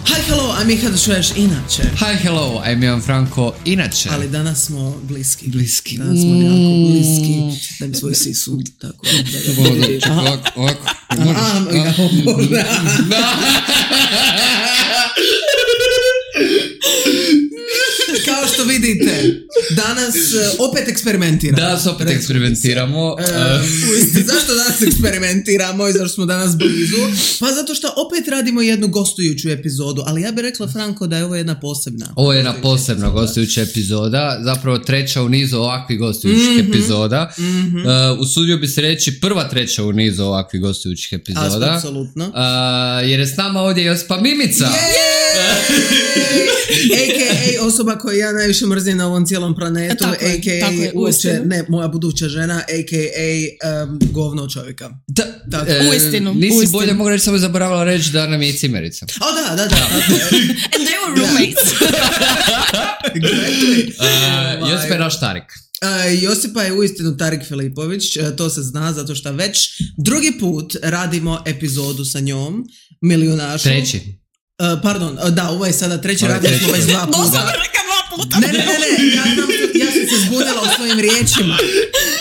Hi, hello, I'm Miha Šveš, inače. Hi, hello, I'm Ivan Franko, inače. Ali danas smo bliski. Bliski. Danas smo jako bliski. Da mi svoj sisu, tako. Ovako. Kao što vidite, danas opet eksperimentiramo. Danas opet eksperimentiramo. Zašto danas eksperimentiramo i zašto smo danas blizu? Pa zato što opet radimo jednu gostujuću epizodu, ali ja bih rekla, Franko, da je ovo jedna posebna. Ovo je jedna posebna gostujuća epizoda, zapravo treća u nizu ovakvih gostujućih epizoda. Usudio bi se reći prva treća u nizu ovakvih gostujućih epizoda. Apsolutno. Jer je s nama ovdje Josipa Mimica. A.k.a. osoba koju ja najviše mrzim na ovom cijelom planetu, a.k.a. uopće, ne, moja buduća žena, a.k.a. govno čovjeka. Uistinu. Nisi bolje mogu reći, samo zaboravila reći da nam je cimerica. Da. And they were roommates. Exactly. Josipa je naš Tarik. Josipa je uistinu Tarik Filipović, to se zna zato što već drugi put radimo epizodu sa njom, Milijunašu. Treći. Pardon, da, ovo je sada treći, radili smo već 2 puta. Doslovno reka 2 puta. Ne, ja sam se zbunila u svojim riječima.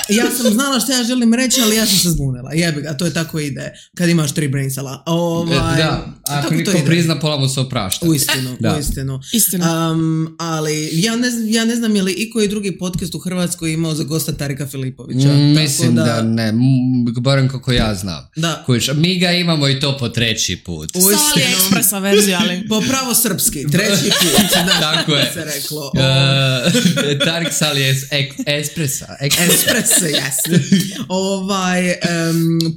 Ja sam znala što ja želim reći, ali ja sam se zbunila. Jebi ga, to je tako ide kad imaš 3 brainsala. Da, ako niko prizna, pola mu se oprašta. Uistinu. Ali ja ne znam je li iko i drugi podcast u Hrvatskoj imao za gosta Tarika Filipovića. Mislim da ne, barem kako ja znam. Da. Mi ga imamo i to po treći put. Sali ekspresa verzija, ali... Po pravo srpski, treći put. Tako je. Se reklo. Tarik Sali je espresa. Espresso, yes.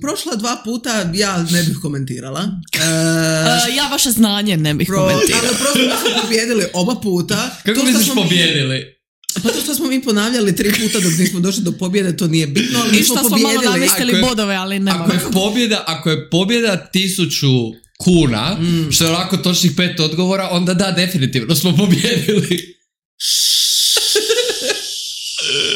Prošla 2 puta ja ne bih komentirala. Ja vaše znanje ne bih komentirala. Ali prosto smo pobjedili oba puta. Kako misliš pobjedili? Pa to što smo mi ponavljali 3 puta dok nismo došli do pobjede, to nije bitno, ali mi smo pobjedili. I što smo malo navistili bodove, ali nema. Ako je pobjeda 1000 kuna, što je ovako točnih 5 odgovora, onda da, definitivno smo pobjedili.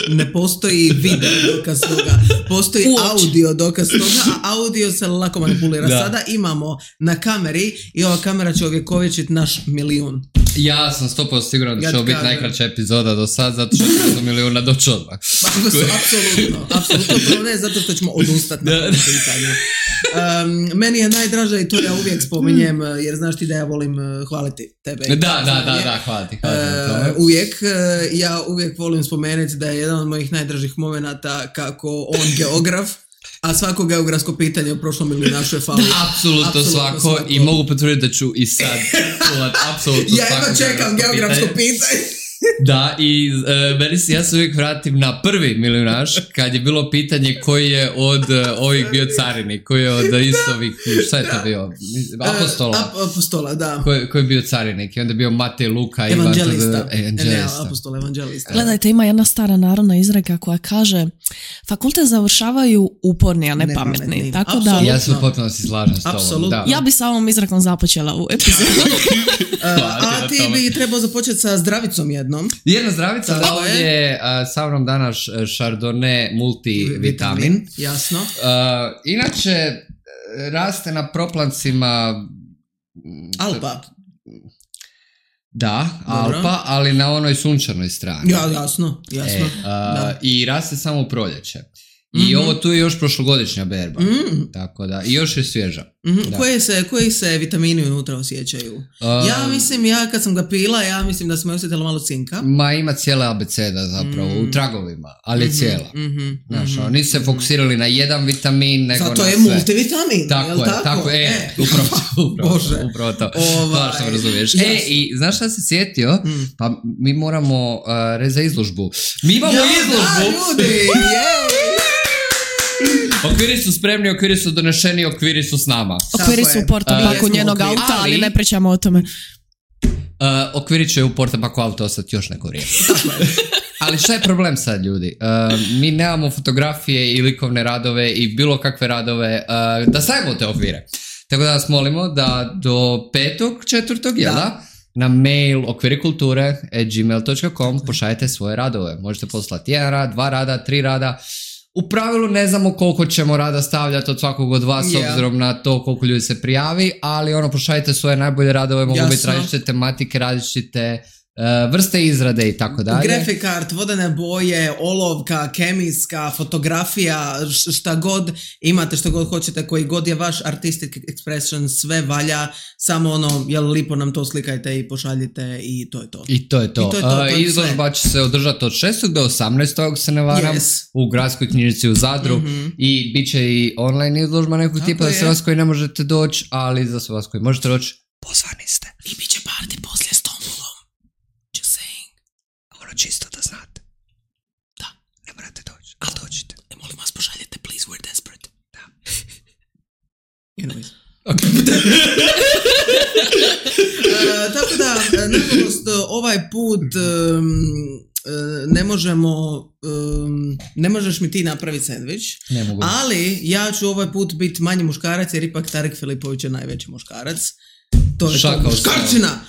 Ne postoji video dokaz toga, postoji audio dokaz toga, a audio se lako manipulira. Da. Sada imamo na kameri i ova kamera će ovjekovječiti naš 1.000.000. Ja sam 100% siguran da će ovo biti najkraća epizoda do sad, zato što ćemo 1.000.000 doći odmah. Apsolutno ne, zato što ćemo odustati na ovom pitanju. Meni je najdraža i to ja uvijek spominjem, jer znaš ti da ja volim hvaliti tebe. Da, hvaliti. Ja uvijek volim spomenuti da je jedan od mojih najdražih momenata kako on geograf, a svako geografsko pitanje u prošlom Milijunašu je falio. Apsolutno svako i mogu potvrditi da ću i sad apsolutno svako. Ja čekam geografsko pitanje. Da, i ja se uvijek vratim na prvi Milijunaš, kad je bilo pitanje koji je od ovih bio carinik, koji je od istovih, šta je to bio? Apostola, da. Koji je bio carinik? I onda je bio Matej, Luka, Evanđelista. Apostol, evanđelista. Gledajte, ima jedna stara narodna izreka koja kaže fakultet završavaju uporni, a ne pametni. Tako da... Ja se potpuno si slažem s tobom. Da. Ja bi sa ovom izrekom započela u epizodu. A ti bi trebao započeti sa zdravicom jednom. Jedna zdravica, da, ovo je sa mnom danas Chardonnay multivitamin. Jasno. Inače, raste na proplancima... Alpa. Da, dobro. Alpa, ali na onoj sunčanoj strani. Ja, jasno. I raste samo u proljeće. I ovo tu je još prošlogodišnja berba. Tako da, i još je svježa. Koji se vitamini unutra osjećaju? Ja kad sam ga pila, ja mislim da smo osjetili malo cinka. Ma ima cijela abeceda zapravo, u tragovima, ali je cijela. Znaš, nisu se fokusirali na jedan vitamin, nego zato na sve. Zato je multivitamin, tako je, upravo to. Hvala što me razumiješ. I znaš šta se sjetio? Pa mi moramo za izložbu. Mi imamo izložbu! Ljudi, Okviri su spremni, okviri su donešeni, okviri su s nama. Okviri su u portapaku njenog auta, ali ne pričamo o tome. Okviri će u portapaku auta ostati još neko vrijeme. Ali šta je problem sad, ljudi? Mi nemamo fotografije i likovne radove i bilo kakve radove da stavimo te okvire. Tako da vas molimo da do 5.4. jel da? Na mail okvirikulture@gmail.com pošaljete svoje radove. Možete poslati 1 rad, 2 rada, 3 rada. U pravilu ne znamo koliko ćemo rada stavljati od svakog od vas s obzirom na to koliko ljudi se prijavi, ali pošaljite svoje najbolje radove, mogu biti različite tematike, različite vrste izrade i tako dalje. Graphic art, vodene boje, olovka, kemijska, fotografija, šta god imate, što god hoćete, koji god je vaš artistic expression, sve valja, samo jel lipo nam to slikajte i pošaljite i to je to. I to je to. Izložba će se održati od 6. do 18. se ne varam, u gradskoj knjižnici u Zadru i bit će i online izložba nekog tipa za sve vas koji ne možete doći, ali za sve vas koji možete doći, pozvani ste. I bit će party poslije Stonewallom. Čisto da znate. Da. Ne morate doći, ali dođite. Molim vas, pošaljete, please, we're desperate. Da. Anyways. Okay. Tako da, nažalost, ovaj put ne možeš mi ti napraviti sandvič, ali ja ću ovaj put biti manji muškarac jer ipak Tarik Filipović je najveći muškarac. To je to, muškarčina.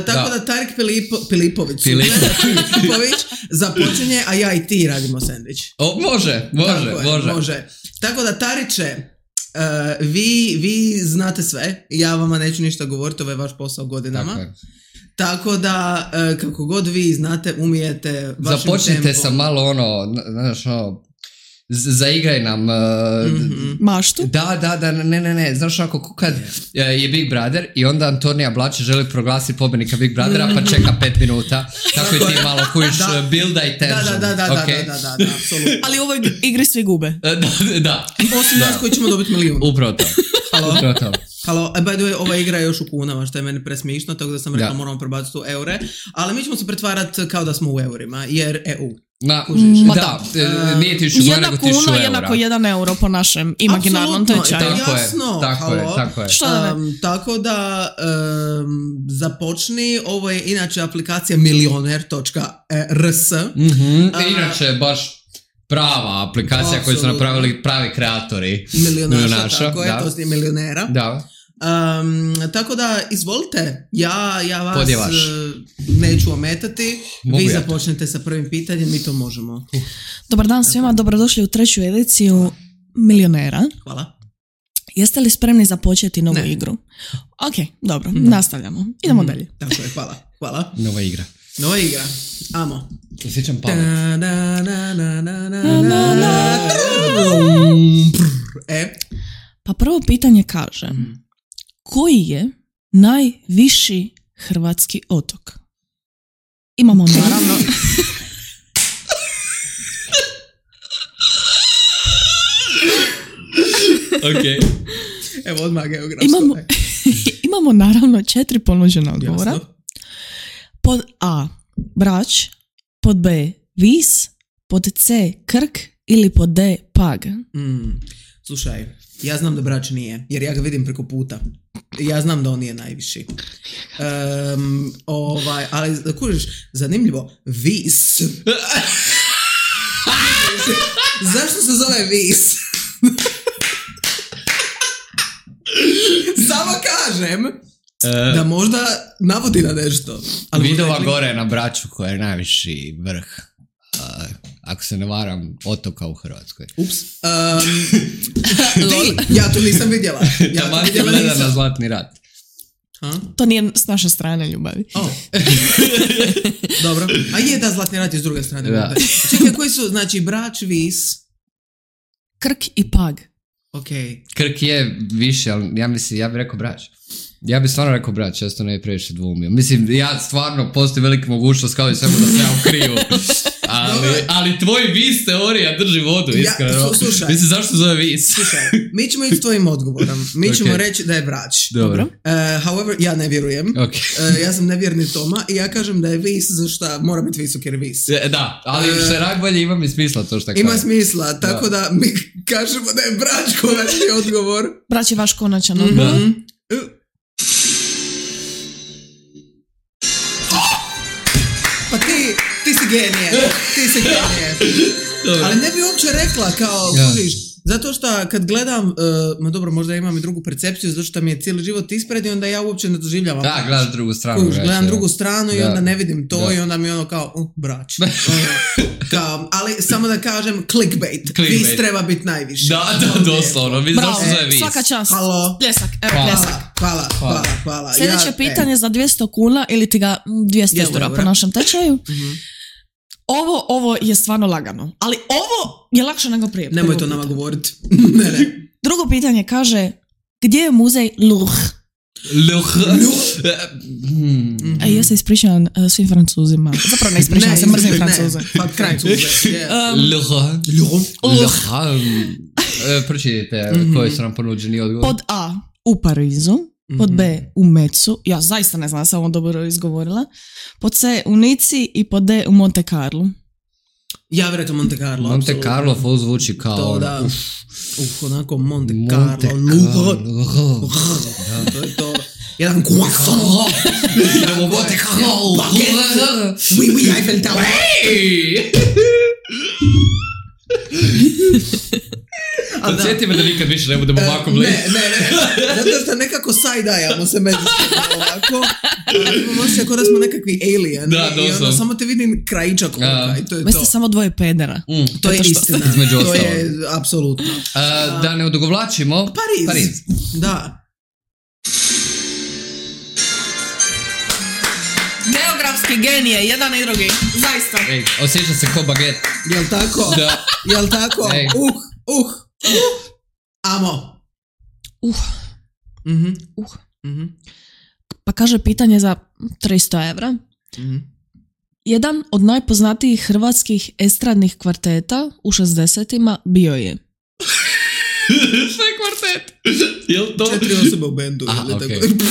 Tako da Tarik Filipović započinje, a ja i ti radimo sandvič. Može. Tako da Tariće, vi znate sve, ja vama neću ništa govoriti, ovo je vaš posao godinama. Tako da, kako god vi znate, umijete vašim tempom. Započnite sa malo zaigraj nam maštu. Da, ne. Znaš onako kad je Big Brother i onda Antonija Blače želi proglasiti pobjednika Big Brothera pa čeka 5 minuta. Tako i ti malo kujiš builda i tension. Da, apsolutno. Ali u ovoj igri svi gube. Da. Osim nas koji ćemo dobiti milijun. Upravo to. Halo, by the way, ova igra je još u kunama, što je meni presmišno, tako da sam rekao moramo prebaciti u eure, ali mi ćemo se pretvarati kao da smo u eurima, jer EU. Nije 1000 nego 1000 eura. 1 kuna jednako 1 euro po našem imaginarnom tečaju. Jasno, tako je. Tako da započni, ovo je inače aplikacija milioner.rs. Inače baš prava aplikacija koju su napravili pravi kreatori milionaša, tako je, to je milionera. Da. Tako da izvolite, ja vas neću ometati. Vi započnete sa prvim pitanjem, mi to možemo. Dobar dan svima, dobrodošli u 3. ediciju Milionera. Hvala. Jeste li spremni započeti novu igru? Ok, dobro, nastavljamo. Idemo dalje. Tako je, hvala. Nova igra. Amo. Osjećam pamet. Pa prvo pitanje kaže, koji je najviši hrvatski otok? Imamo naravno... Ok. Evo odmah geografsko. Imamo naravno 4 ponuđena odgovora. Jasno. Pod A Brač, pod B Vis, pod C Krk ili pod D Pag. Slušaj, ja znam da Brač nije, jer ja ga vidim preko puta. Ja znam da on nije najviši. Ali kužiš, zanimljivo, Vis. Zašto se zove Vis? Samo kažem da možda navodi na nešto. Vidova gore na Braču koja je najviši vrh. Ako se ne varam, otoka u Hrvatskoj. Ups. Ja to nisam vidjela. Taman ti gleda na Zlatni rat. To nije s naše strane ljubavi. Dobro. A je da Zlatni rat je s druge strane. Da. Čekaj, koji su, znači Brač, Vis, Krk i Pag. Okay. Krk je više, ali ja bih rekao Brač. Ja bih stvarno rekao Brač, ja to ne bi previše dvoumio. Mislim, ja stvarno postoji velika mogućnost kao i svemu da se ja ukriju. Ali tvoj Vis teorija drži vodu, iskreno. Mislim, zašto zove Vis? Slušaj, mi ćemo ići s tvojim odgovorom. Mi ćemo reći da je Brač. Dobro. However, ja ne vjerujem. Okay. Ja sam nevjerni Toma i ja kažem da je Vis, zašto mora biti visok jer Vis. Da, ali što je rak bolje, ima mi smisla to što kaže. Ima smisla, tako da mi kažemo da je Brač konačni odgovor. Brač je vaš konačan odgovor. Pa ti si genije. Ali ne bi uopće rekla kao, kužiš, Zato što kad gledam, ma dobro, možda imam i drugu percepciju, zato što mi je cijeli život ispred i onda ja uopće ne doživljavam. Da, gledaš drugu stranu. Gledam drugu stranu i onda ne vidim to i onda mi ono kao, brač. Ali samo da kažem, clickbait. Vis treba biti najviše. Da, doslovno. Bravo, svaka čast. Halo. Pljesak, pljesak. Hvala. Sljedeće pitanje za 200 kuna ili ti ga 200 eura po našem tečaju. Ovo je stvarno lagano, ali ovo je lakše nego prije. Nemoj to nama govoriti. Ne. Drugo pitanje kaže, gdje je muzej Louvre? Ja se ispričavam svim Francuzima. Zapravo ne ispričavam se, mrzim Francuze. Pročitajte koji su nam ponuđeni odgovor. Pod A u Parizu, pod B u Metsu, ja zaista ne znam, sam ovo dobro izgovorila, pod C u Nici i pod D u Monte Carlo. Ja vjerujem Monte Carlo. Monte Carlo full zvuči kao... To da. Onako Monte Carlo. To je to. Jedan croissant. Idemo Monte Carlo. Oui, Eiffel Tower. Podsjeti me da nikad više ne budemo ovako blizu. Ne. Zato što nekako sajdajamo se međusobno ovako. Imamo se kao da smo nekakvi alien. Da, i onda samo te vidim krajičak ovoga i to je to. Vi ste samo dvoje pedera. To je istina. To je apsolutno. Da ne odugovlačimo. Pariz. Da. Geografski genije, jedan i drugi. Zaista. Ej, osjeća se ko baget. Jel tako? Da. Jel tako? Amo. Pa kaže pitanje za 300 evra. Jedan od najpoznatijih hrvatskih estradnih kvarteta u 60-ima bio je. Šta je kvartet? Jel to? 4 osobe u bendu. Okay.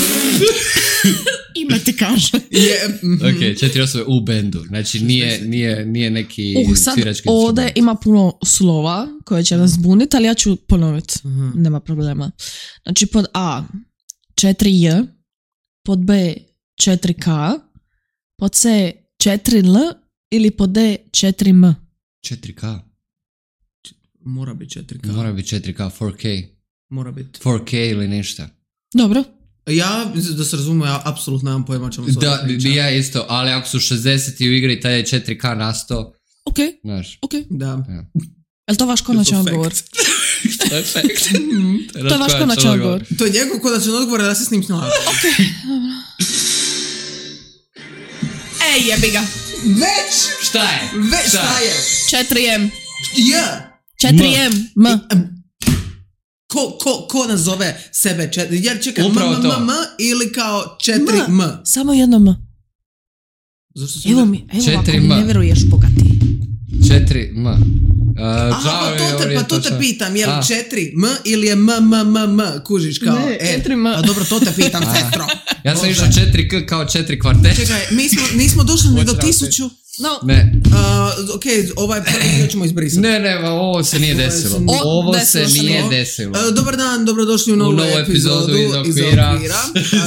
Ime ti kaže. Ok, 4 osobe u bendu. Znači nije neki svirački. Sad ovdje ima puno slova koje će nas zbuniti, ali ja ću ponoviti. Nema problema. Znači pod A 4J, pod B 4K, pod C 4L ili pod D 4M. 4K. Mora biti 4K. Mora biti 4K, 4K. Mora biti. 4K ili ništa. Dobro. Ja, da se razumu, ja apsolutno nemam pojma čemu se da, ja isto, ali ako su 60 u igri, taj je 4K na 100. Ok, znaš. ok. Da. Ja. Je li to vaš konačan odgovor? To je fact. To je vaš konačan odgovor. To je njegov konačan odgovor, da se s njim snalazi. Ok, dobro. Ej, jebi ga. Već! Šta je? 4M. Ja. 4M. M. Ko nazove sebe 4? Jer čekaj, M ili kao 4M? Samo jedno M. Evo ako mi ne vjeruješ, bogati. 4M. Pa to te pitam, je li 4M ili je M, kužiš kao... Ne, 4M. Pa dobro, to te pitam, sestro. Ja sam išao 4K kao 4 kvartet. Čekaj, nismo došli ni do 1000. No. Ne. Ok, ovaj prvi ćemo izbrisati. Ne, ovo se nije desilo. Ovo se nije desilo. Dobar dan, dobrodošli u novu epizodu iz Okvira.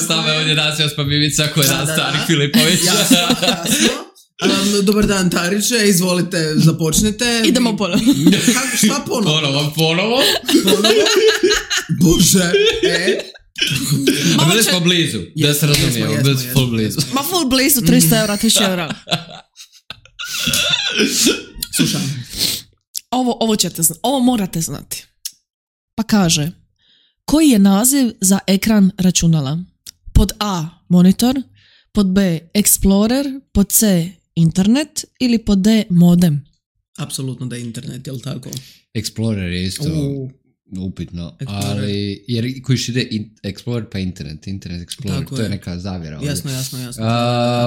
Stave ovdje Nasijos Pabivica koji je Starik Filipović. Jasno. Dobar dan, Tariće, izvolite, započnite. Idemo ponovo. Šta ponovo? Ponovo? Bože, A bili smo blizu, da se razumijemo, bili smo full blizu. Ma full blizu, 300 eura, 1000 eura. Slušam. Ovo ćete znati, ovo morate znati. Pa kaže, koji je naziv za ekran računala? Pod A monitor, pod B Explorer, pod C internet ili pod D modem? Apsolutno da je internet, jel tako? Explorer je isto upitno, ali jer kojiš ide Explorer pa internet Explorer, tako to je neka zavjera. Jasno.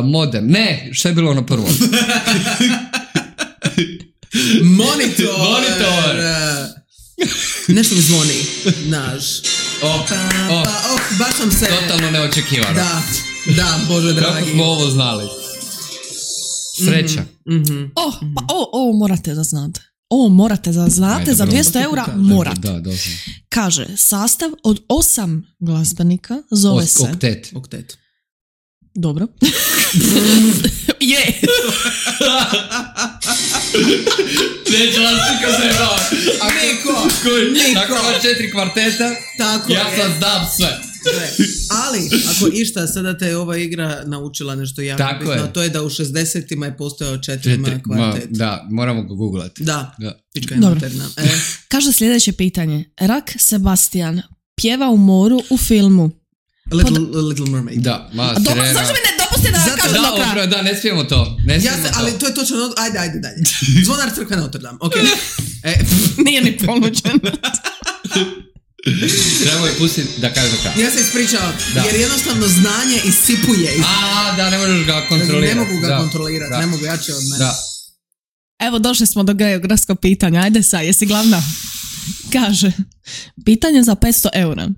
Modem, ne, što je bilo ono prvo? Monitor! Nešto mi zvoni, naš. Baš sam se... Totalno neočekivano. Da, Bože dragi. Kako smo ovo znali? Sreća. Ovo morate da znate. Ovo morate da znate, za 200 eura morate. Da, doslovno. Kaže, sastav od 8 glazbenika zove se... Oktet. Dobro. Je. Neće vas niko zajebava. Niko. Nakon 4 kvarteta, Tako ja je. sad znam sve. Ali, ako išta, sada te ova igra naučila nešto jako Tako bitno, je. a to je da u 60-ima je postojao 4 kvartet. Da, moramo ga googlati. Da, pička je Dobro. materna. Kaže sljedeće pitanje. Rak Sebastian pjeva u moru u filmu. Little Mermaid. Da, mala Zašto sirena. mi ne dopusti da Zato- kažem do kraja? Da, ne smijemo to. Ali to je točno, ajde dalje. Zvonar crkve Notre Dame, ok. Nije ni ponuđen. Trebamo je pustiti da kaže do kraja. Ja se ispričavam, Da. jer jednostavno znanje isipuje. Da, ne možeš ga kontrolirati. Ne mogu ga Da, kontrolirati, da. ne mogu jače od mene. Da. Evo, došli smo do geografskog pitanja. Ajde sad, jesi glavna? Kaže, pitanje za 500 eura.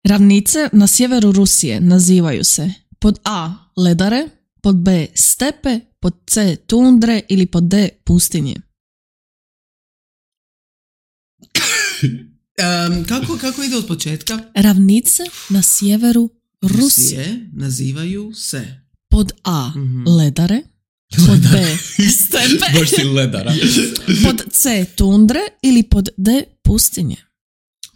Ravnice na sjeveru Rusije nazivaju se pod A. ledare, pod B. stepe, pod C. tundre ili pod D. pustinje. Kako ide od početka? Ravnice na sjeveru Rusije. Rusije nazivaju se. Pod A. ledare, pod B. stepe, Baš si ledara. pod C. tundre ili pod D. pustinje.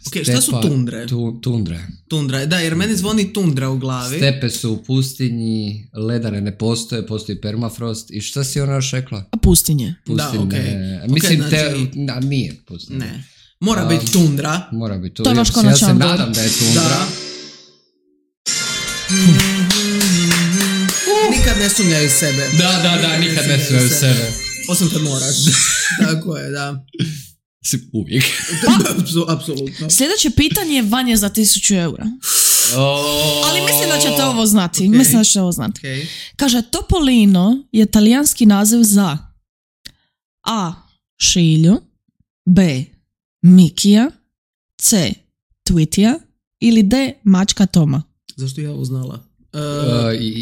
Ok, šta su tundre? Tundre. Tundra, da, jer meni zvoni tundra u glavi. Stepe su u pustinji, ledare ne postoje, postoji permafrost. I šta si ona još rekla? A pustinje. Da, ok. Mislim, Ok, znači- nije pustinja. Ne. Mora biti tundra. Mora biti to. To je vaš Ja konačan se odgovor. nadam da je tundra. Da. Nikad ne sumnjaju sebe. Da, nikad ne smiju sebe. Osim kad moraš. Tako je, da. Uvijek. Apsolutno. Sljedeće pitanje je vanje za 1000 eura. Ali mislim da ćete ovo znati. Ok. Mislim da ćete ovo znati. Okay. Kaže, Topolino je talijanski naziv za A. Šilju, B. Mikija, C. Twitija ili D. Mačka Toma. Zašto ja ovo znala?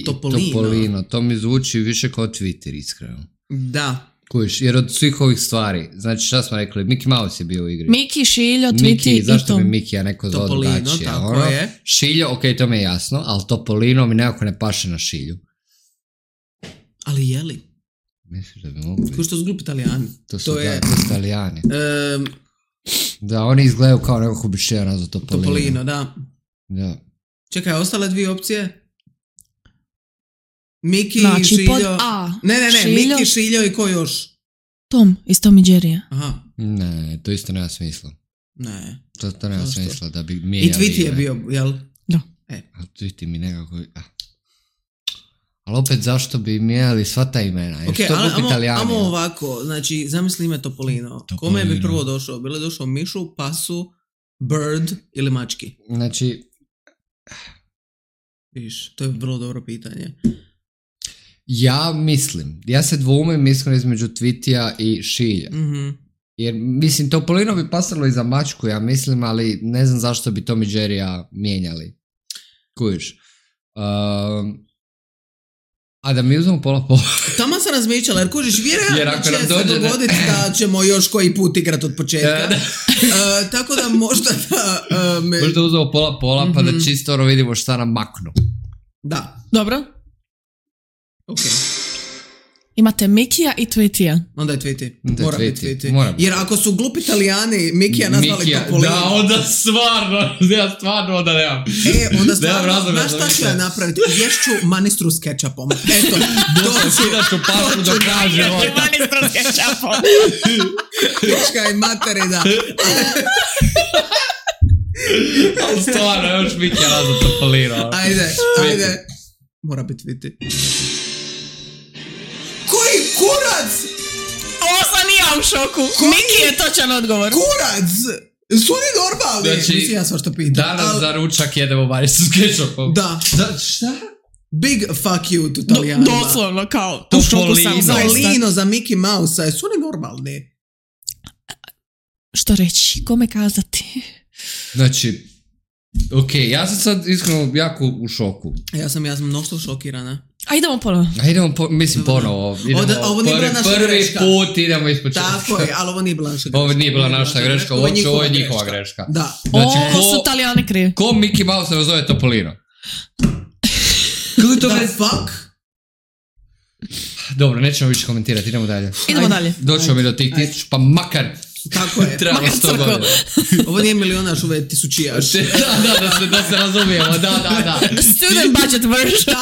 Topolino. To mi zvuči više kao Twitter, iskreno. Da. Kužiš, jer od svih ovih stvari, znači šta smo rekli, Mickey Mouse je bio u igri. Miki, Šiljo, Twiti Miki, i zašto Tom. mi Miki ja neko zvao Topolino, drugačije? tako je. Šiljo, ok, to mi je jasno, ali Topolino mi nekako ne paše na Šilju. Ali je li? Misliš da bi mogu biti? Ko što su glupi Italijani. To su Italijani. Ehm, Da, oni izgledaju kao nekako bi šera za Topolino. Topolino, da. Da. Čekaj, ostale dvije opcije? Miki, Znači, Šiljo... pod A. Ne, Šiljo, Miki, Šiljo i ko još? Tom iz Tom i Jerrya. Aha, Ne, to isto nema smisla. ne. To nema Zašto? smisla da bi I mijenjali Tweety je ime. bio, jel? Da. A Tweety mi nekako... Ali opet zašto bi mijenjali sva ta imena? Jer Ok, što glupi Italijani? amo ovako, znači, zamisli ime Topolino. Kome bi prvo došao? Bilo je došao Mišu, Pasu, Bird ili Mački? Znači, Viš, to je vrlo dobro pitanje. ja se dvoumim iskreno između Tweetija i Šilja. Mhm. Jer, mislim, Topolino bi pasalo i za Mačku, ja mislim, ali ne znam zašto bi Tom i Jerrya mijenjali. Kužiš. A da mi uzmemo pola. Tamo sam razmišljala, jer kužiš, Jer vjerojatno ako će nam se dođe dogoditi da ćemo još koji put igrat od početka. Tako da možda da... Možda uzmemo pola, pa da čisto vidimo šta nam maknu. Da, Dobro. ok. Imate Mikija i Twitija. Onda je Tweety. Onda je Mora biti Tweety. Tweety. Mora biti. Jer ako su glupi Italijani Mikija nazvali Topolino. Da, onda stvarno onda nemam. Onda Nemam stvarno, razloga znaš za šta ću više. ja napraviti? Ješću manistru s kečapom. Eto, Skidat ću pašu do kraja života. Pička i materina. Ali stvarno, još Miki je nazvat Topolino. Ajde. Mora biti Tweety. Koji kurac? Ovo sam i ja u šoku. Miki je točan odgovor. Kurac! Su oni normalni? Znači, Mislim, ja svašta pitam. Danas za ručak jedemo maricu s kečupom. Da. Šta? Big fuck you to Italijanima. Doslovno, kao, u šoku sam zaista. Topolino za Mickey Mouse-a, su oni normalni? Što reći, kome kazati? Znači, ok, ja sam sad iskreno jako u šoku. Ja sam mnoštvo šokirana. A idemo ponovno. A idemo, ponovo. Ovo nije bila naša prvi greška. put idemo ispod čega. Tako je, ali ovo nije bila naša greška. Ovo nije bila naša greška, ovo je njihova greška. Da. Znači, Ovo su Italijani krivi. ko Mickey Mouse se zove Topolino? Kako je to The već? fuck? Dobro, nećemo više komentirati, idemo dalje. Idemo dalje. Doćemo mi do tih 1000, pa makar Tako je. trebalo 100 godina. Ovo nije milionaš, ovo je tisućijaš. Da se razumijemo, da. Student budget version.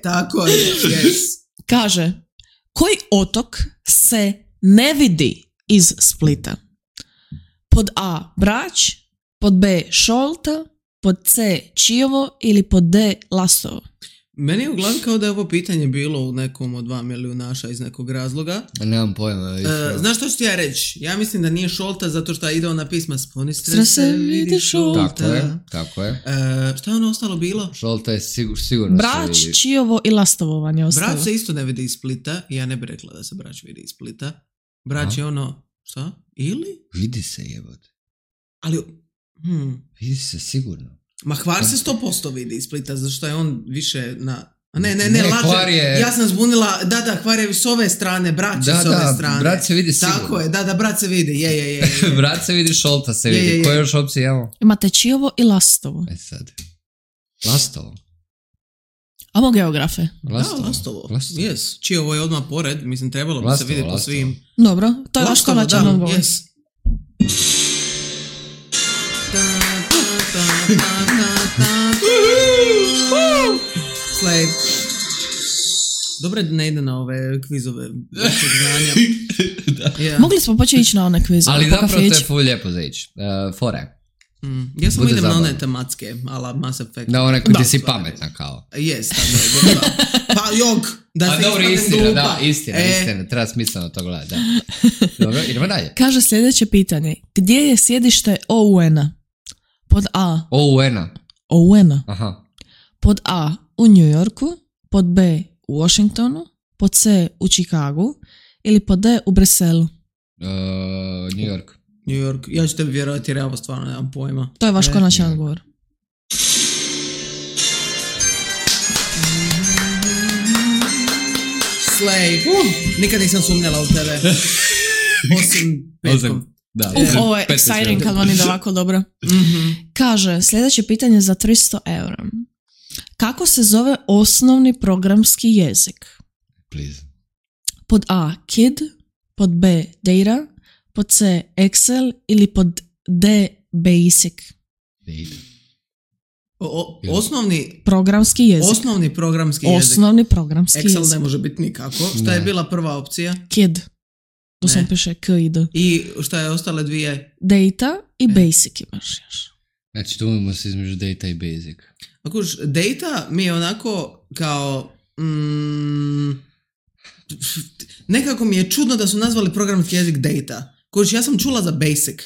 Tako je, yes. Kaže, koji otok se ne vidi iz Splita? Pod A. Brač, pod B. Šolta, pod C. Čiovo ili pod D. Lastovo? Meni je u glavi kao da je ovo pitanje bilo u nekom od 2 milijunaša iz nekog razloga. Nemam pojma. Znaš što ću ti ja reći? Ja mislim da nije Šolta zato što ide ona pisma Sponi strese, vidi Šolta. Tako je. Šta je ono ostalo bilo? Šolta je sigurno Brač, Čiovo i Lastovo vam je ostalo. Brač se isto ne vidi iz Splita i ja ne bih rekla da se Brač vidi iz Splita. Brač je ono, šta? Ili? Vidi se jebote. Ali, Vidi se sigurno. Ma Hvar se 100% vidi iz Splita, zato što je on više na... Ne, lažem. Ja sam zbunila, da, Hvar je s ove strane, Brač je s ove strane. Brat se vidi sigurno. Tako je, da, Brat se vidi, je. Brat se vidi, Šolta se vidi. Koje još opcije imamo? Imate Čiovo i Lastovo. Sad. Lastovo. Amo geografe. Lastovo. Yes. Čiovo je odmah pored, mislim trebalo bi se vidjeti po svim. Dobro, to je vaš konačan odgovor. Yes. Slay. Dobro da ne ide na ove kvizove znanja. Mogli smo početi ići na one kvizove. Ali zapravo to je ful lijepo za ići. Fore. Ja sam idem na one tematske, ala Mass Effect. Da, one koji ti si pametna kao. Yes, tako je. Pa jok, da se ispadnem glupa. Istina, treba smisleno to gledati. Dobro, idemo dalje. Kaže sljedeće pitanje. Gdje je sjedište OUN-a? Pod A. OUN-a. Aha. Pod A u New Yorku, pod B u Washingtonu, pod C u Chicagu ili pod D u Briselu? New York. Ja ću tebi vjerovati jer ja ovo stvarno nemam pojma. To je vaš konačan odgovor. Slay. Nikad nisam sumnjala u tebe. Osim petkom. Ovo je exciting kad vam ide ovako dobro. Kaže, sljedeće pitanje za 300 eura. Kako se zove osnovni programski jezik? Please. Pod A. KID, pod B. Data, pod C. Excel ili pod D. Basic? Osnovni programski jezik. Osnovni programski jezik. Excel ne može biti nikako. Šta je bila prva opcija? KID. Tu sam piše KID. I šta je ostale dvije? Data i Basic imaš još. Znači tu imamo se između Data i Basic. Akuš, Data mi je onako kao... nekako mi je čudno da su nazvali programski jezik Data. Kuš, ja sam čula za Basic.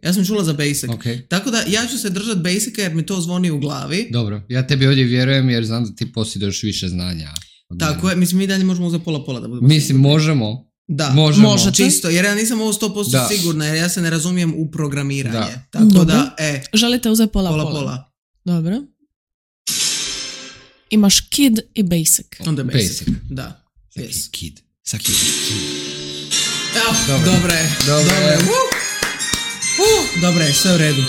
Ja sam čula za Basic. Okay. Tako da ja ću se držati Basica jer mi to zvoni u glavi. Dobro, ja tebi ovdje vjerujem jer znam da ti posjeduješ više znanja. Tako je, mislim mi dalje možemo uzeti pola da budemo. Mislim, možemo. Da, može čisto, jer ja nisam ovo 100% sigurna, jer ja se ne razumijem u programiranje. Da. Tako dobro. Da, želite uzeti pola? Dobro. Imaš KID i Basic. Onda Basic. Da. Yes. KID. Dobre. Dobre, sve u redu.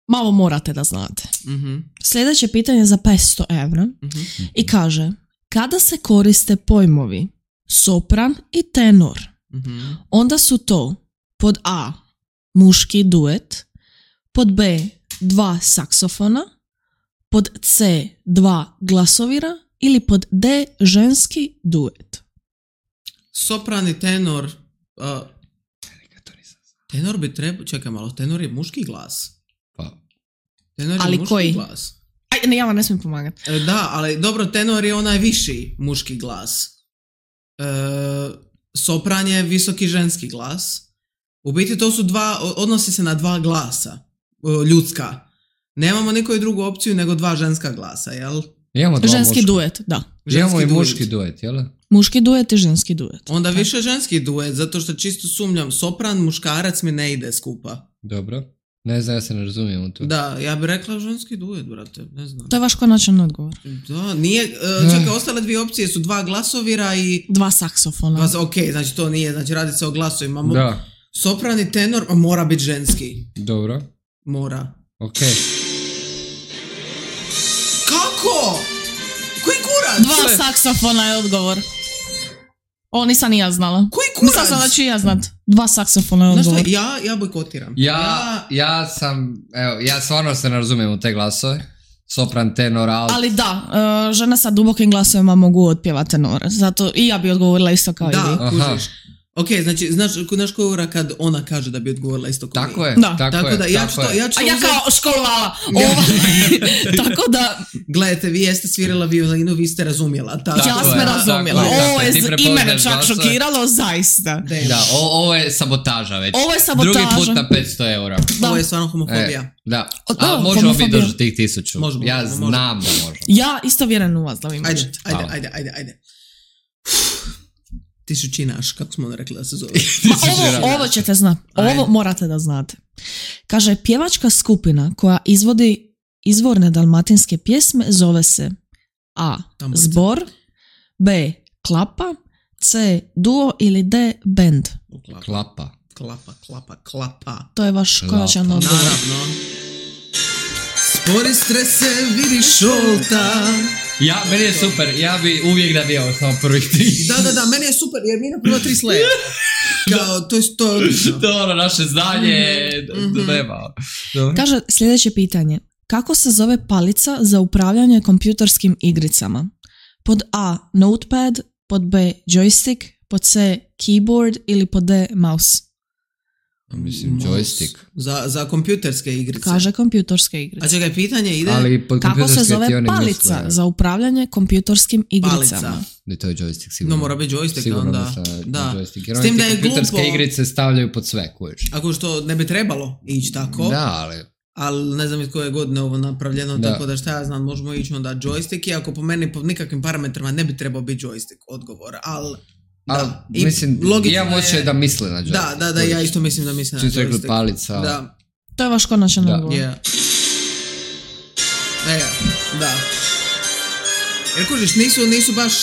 Malo morate da znate. Sljedeće pitanje za 500 eura i kaže, kada se koriste pojmovi sopran i tenor, onda su to pod A muški duet, pod B 2 saksofona, pod C 2 glasovira ili pod D ženski duet? Sopran i tenor. Tenor bi trebao, čekaj malo, tenor je muški glas. Tenor je ali muški koji? Glas. Ne, ja vam ne smijem pomagati. Da, ali dobro, tenor je onaj viši muški glas. Sopran je visoki ženski glas. U biti to su odnosi se na 2 glasa. Ljudska. Nemamo nikoju drugu opciju nego 2 ženska glasa, jel? Ženski duet, da. Imamo i muški duet, jel? Muški duet i ženski duet. Onda više ženski duet, zato što čisto sumnjam. Sopran, muškarac mi ne ide skupa. Dobro. Ne znam, ja se ne razumijem u to. Da, ja bih rekla ženski duet, brate, ne znam. To je vaš konačan odgovor. Da, nije, čekaj, ostale 2 opcije su 2 glasovira i... 2 saksofona. Ok, znači to nije, znači radi se o glasovima. Da. Sopran i tenor mora biti ženski. Dobro. Mora. Ok. Kako? Koji kurac? 2 saksofona je odgovor. Ovo nisam ni ja znala. Koji kurac? Nisam znala ću ja znat. 2 saksofona je odgovor. Znaš šta, ja bojkotiram. Ja stvarno se ne razumijem u te glasove. Sopran, tenor, alt. Ali da, žene sa dubokim glasovima mogu otpjevati tenore. Zato i ja bi odgovorila isto kao i vi. Da, kužiš. Ok, znači, znaš koja ura kad ona kaže da bi odgovorila isto kao Tako mi? je, Da. tako da, je. ja ću kao školovala. Tako da... Gledajte, vi jeste svirala violinu, vi ste razumjela. Ja sam razumjela. Ovo je i mene čak šokiralo, zaista. Da, ovo je sabotaža već. Ovo je sabotaža. Drugi put na 500 eura. Da. Ovo je stvarno homofobija. Da, a možemo biti doći tih 1000. Možemo, ja znam da možemo. Ja isto vjerujem u vas da vi možete. Ajde. Tisućinaš, kako smo onda rekli da se zove. Ovo ćete znati. Ovo morate da znate. Kaže, pjevačka skupina koja izvodi izvorne dalmatinske pjesme zove se A. Zbor, B. Klapa, C. Duo ili D. Band. Klapa. To je vaš konačan odgovor. Naravno. Spori strese, vidi šolta. Meni je super, ja bi uvijek da bio samo prvih 3. Da, meni je super, jer mi na prvo 3 sleja. Kao, to je to. To je ono naše znanje, nema. Kaže sljedeće pitanje. Kako se zove palica za upravljanje kompjuterskim igricama? Pod A. Notepad, pod B. Joystick, pod C. Keyboard ili pod D. Mouse? Mislim, joystick. Za kompjuterske igrice. Kaže kompjuterske igrice. A čekaj, pitanje ide... Kako se zove palica za upravljanje kompjuterskim igricama? Palica. To je joystick, sigurno. No, mora biti joystick, sigurno onda. Da. Joystick. Jer s tim da je kompjuterske igrice stavljaju pod sve, kojiš. Ako što ne bi trebalo ići tako. Da, ali ne znam iz koje godine ovo napravljeno, tako da šta ja znam, možemo ići onda joystick, iako po meni po nikakvim parametrima ne bi trebao biti joystick odgovor, ali... Da, mislim, imam osjećaj da misle na joystick. Da, ja isto mislim da misle na joystick. Rekli palica. Da. To je vaš konačan odgovor. Da. Jer kužiš, nisu baš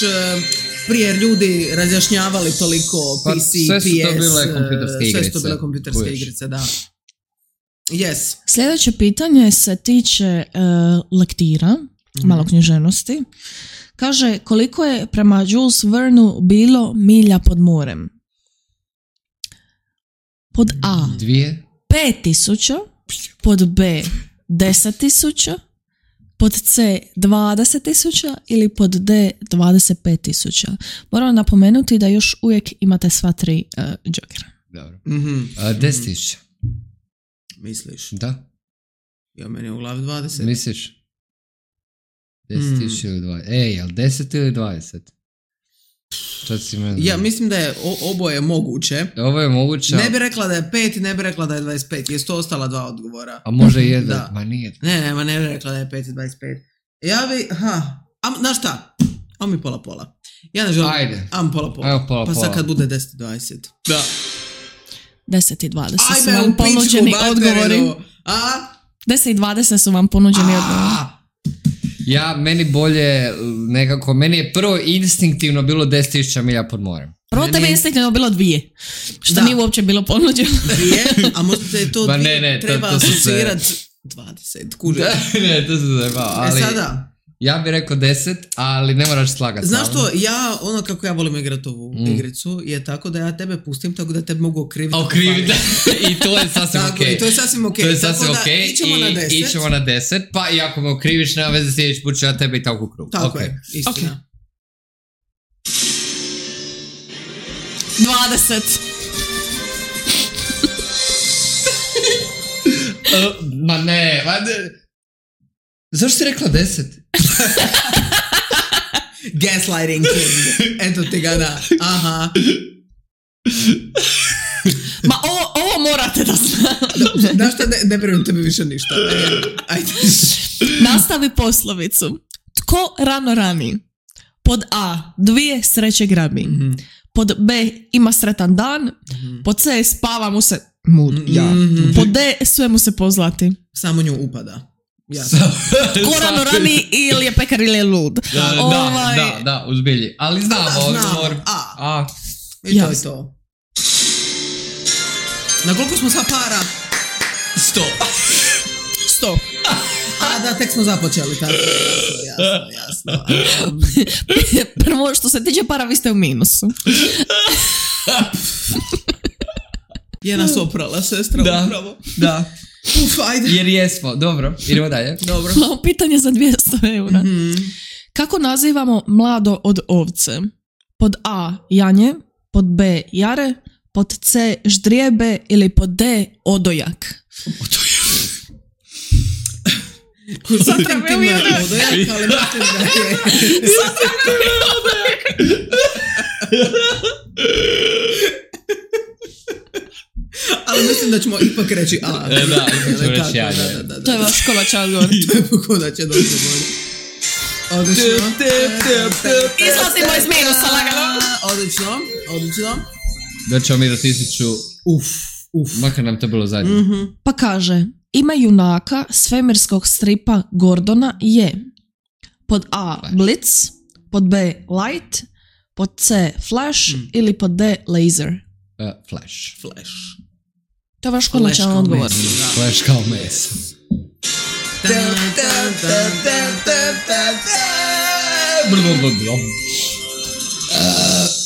prije ljudi razjašnjavali toliko PC, PS, sve su to bile kompjuterske igrice, da. Yes. Sljedeće pitanje se tiče lektira, malo književnosti. Kaže, koliko je prema Jules Vernu bilo milja pod morem? Pod A 5000, pod B 10.000, pod C 20.000 ili pod D 25.000. Moram napomenuti da još uvijek imate sva 3 džokera. Dobro. 10.000. Misliš? Da. Ja, meni je u glavi 20. Misliš? 10.000 ili 20. Jel 10 ili 20? Ja mislim da je oboje moguće. Ovo je moguće. Ne bi rekla da je 5 i ne bi rekla da je 25. Jesu to ostala 2 odgovora. A može jedan? Ma nije. Ne bi rekla da je 5 i 25. Ja bi, znaš šta? Ajmo mi pola. Ja ne želim. Ajde. Ajmo pola. Pa sad kad bude 10 i 20. Da. 10 i 20 su vam ponuđeni odgovori. 10 i 20 su vam ponuđeni odgovori. Meni bolje nekako, meni je prvo instinktivno bilo 10.000 milja pod morem. Prvo tebe je instinktivno bilo 2. Što nije uopće bilo ponuđeno. 2, a možda je to 2 treba asocirati 20, kuže. Ne, to se zajebao, ali... Sada... Ja bih rekao 10, ali ne moraš slagati. Znaš što, kako ja volim igrati ovu igricu, je tako da ja tebe pustim, tako da tebe mogu okriviti. I to je sasvim okej. To je sasvim okej. To je sasvim okej. Ićemo na 10, pa i ako me okriviš, nema veze sljedeći put ću ja tebe i tako u krug. Tako je, istina. 20. Ma ne. Zašto si rekla 10? Gaslighting king. Eto ti ga da. Aha. Ma ovo morate da znate. Znaš šta, ne brinu tebi više ništa. Ajde. Nastavi poslovicu. Tko rano rani? Pod A 2 sreće grabi. Pod B ima sretan dan. Pod C spava mu se pod D sve mu se pozlati. Samo nju upada. Ko rano rani ili je pekar ili je lud. Da, uzbilji. Ali znamo odgovor. I to je to. Na koliko smo sad para? 100. Da, tek smo započeli. Tako, jasno. Prvo, što se tiče para, vi ste u minusu. Je nas oprala sestra upravo. Da. Ajde. Jer jesmo. Dobro, idemo dalje. Dobro. Malo pitanje za 200 eura. Kako nazivamo mlado od ovce? Pod A janje, pod B jare, pod C ždrijebe ili pod D odojak? Satra me uvijek odojak, ali mislim da je... Satra me uvijek odojak! Ali mislim da ćemo ipak reći A. Da, ćemo reći A. To je vaš konačan odgovor. To je pokoda će doći bolje. Odlično. Izlazimo iz minusa lagano. Odlično. Da ćemo mi do 1000. Makar nam to bilo zadnje. Pa kaže, ime junaka svemirskog stripa Gordona je pod A Blitz, pod B Light, pod C Flash ili pod D Laser. Flash. To je vaš konačan odgovor. Flash kao meso.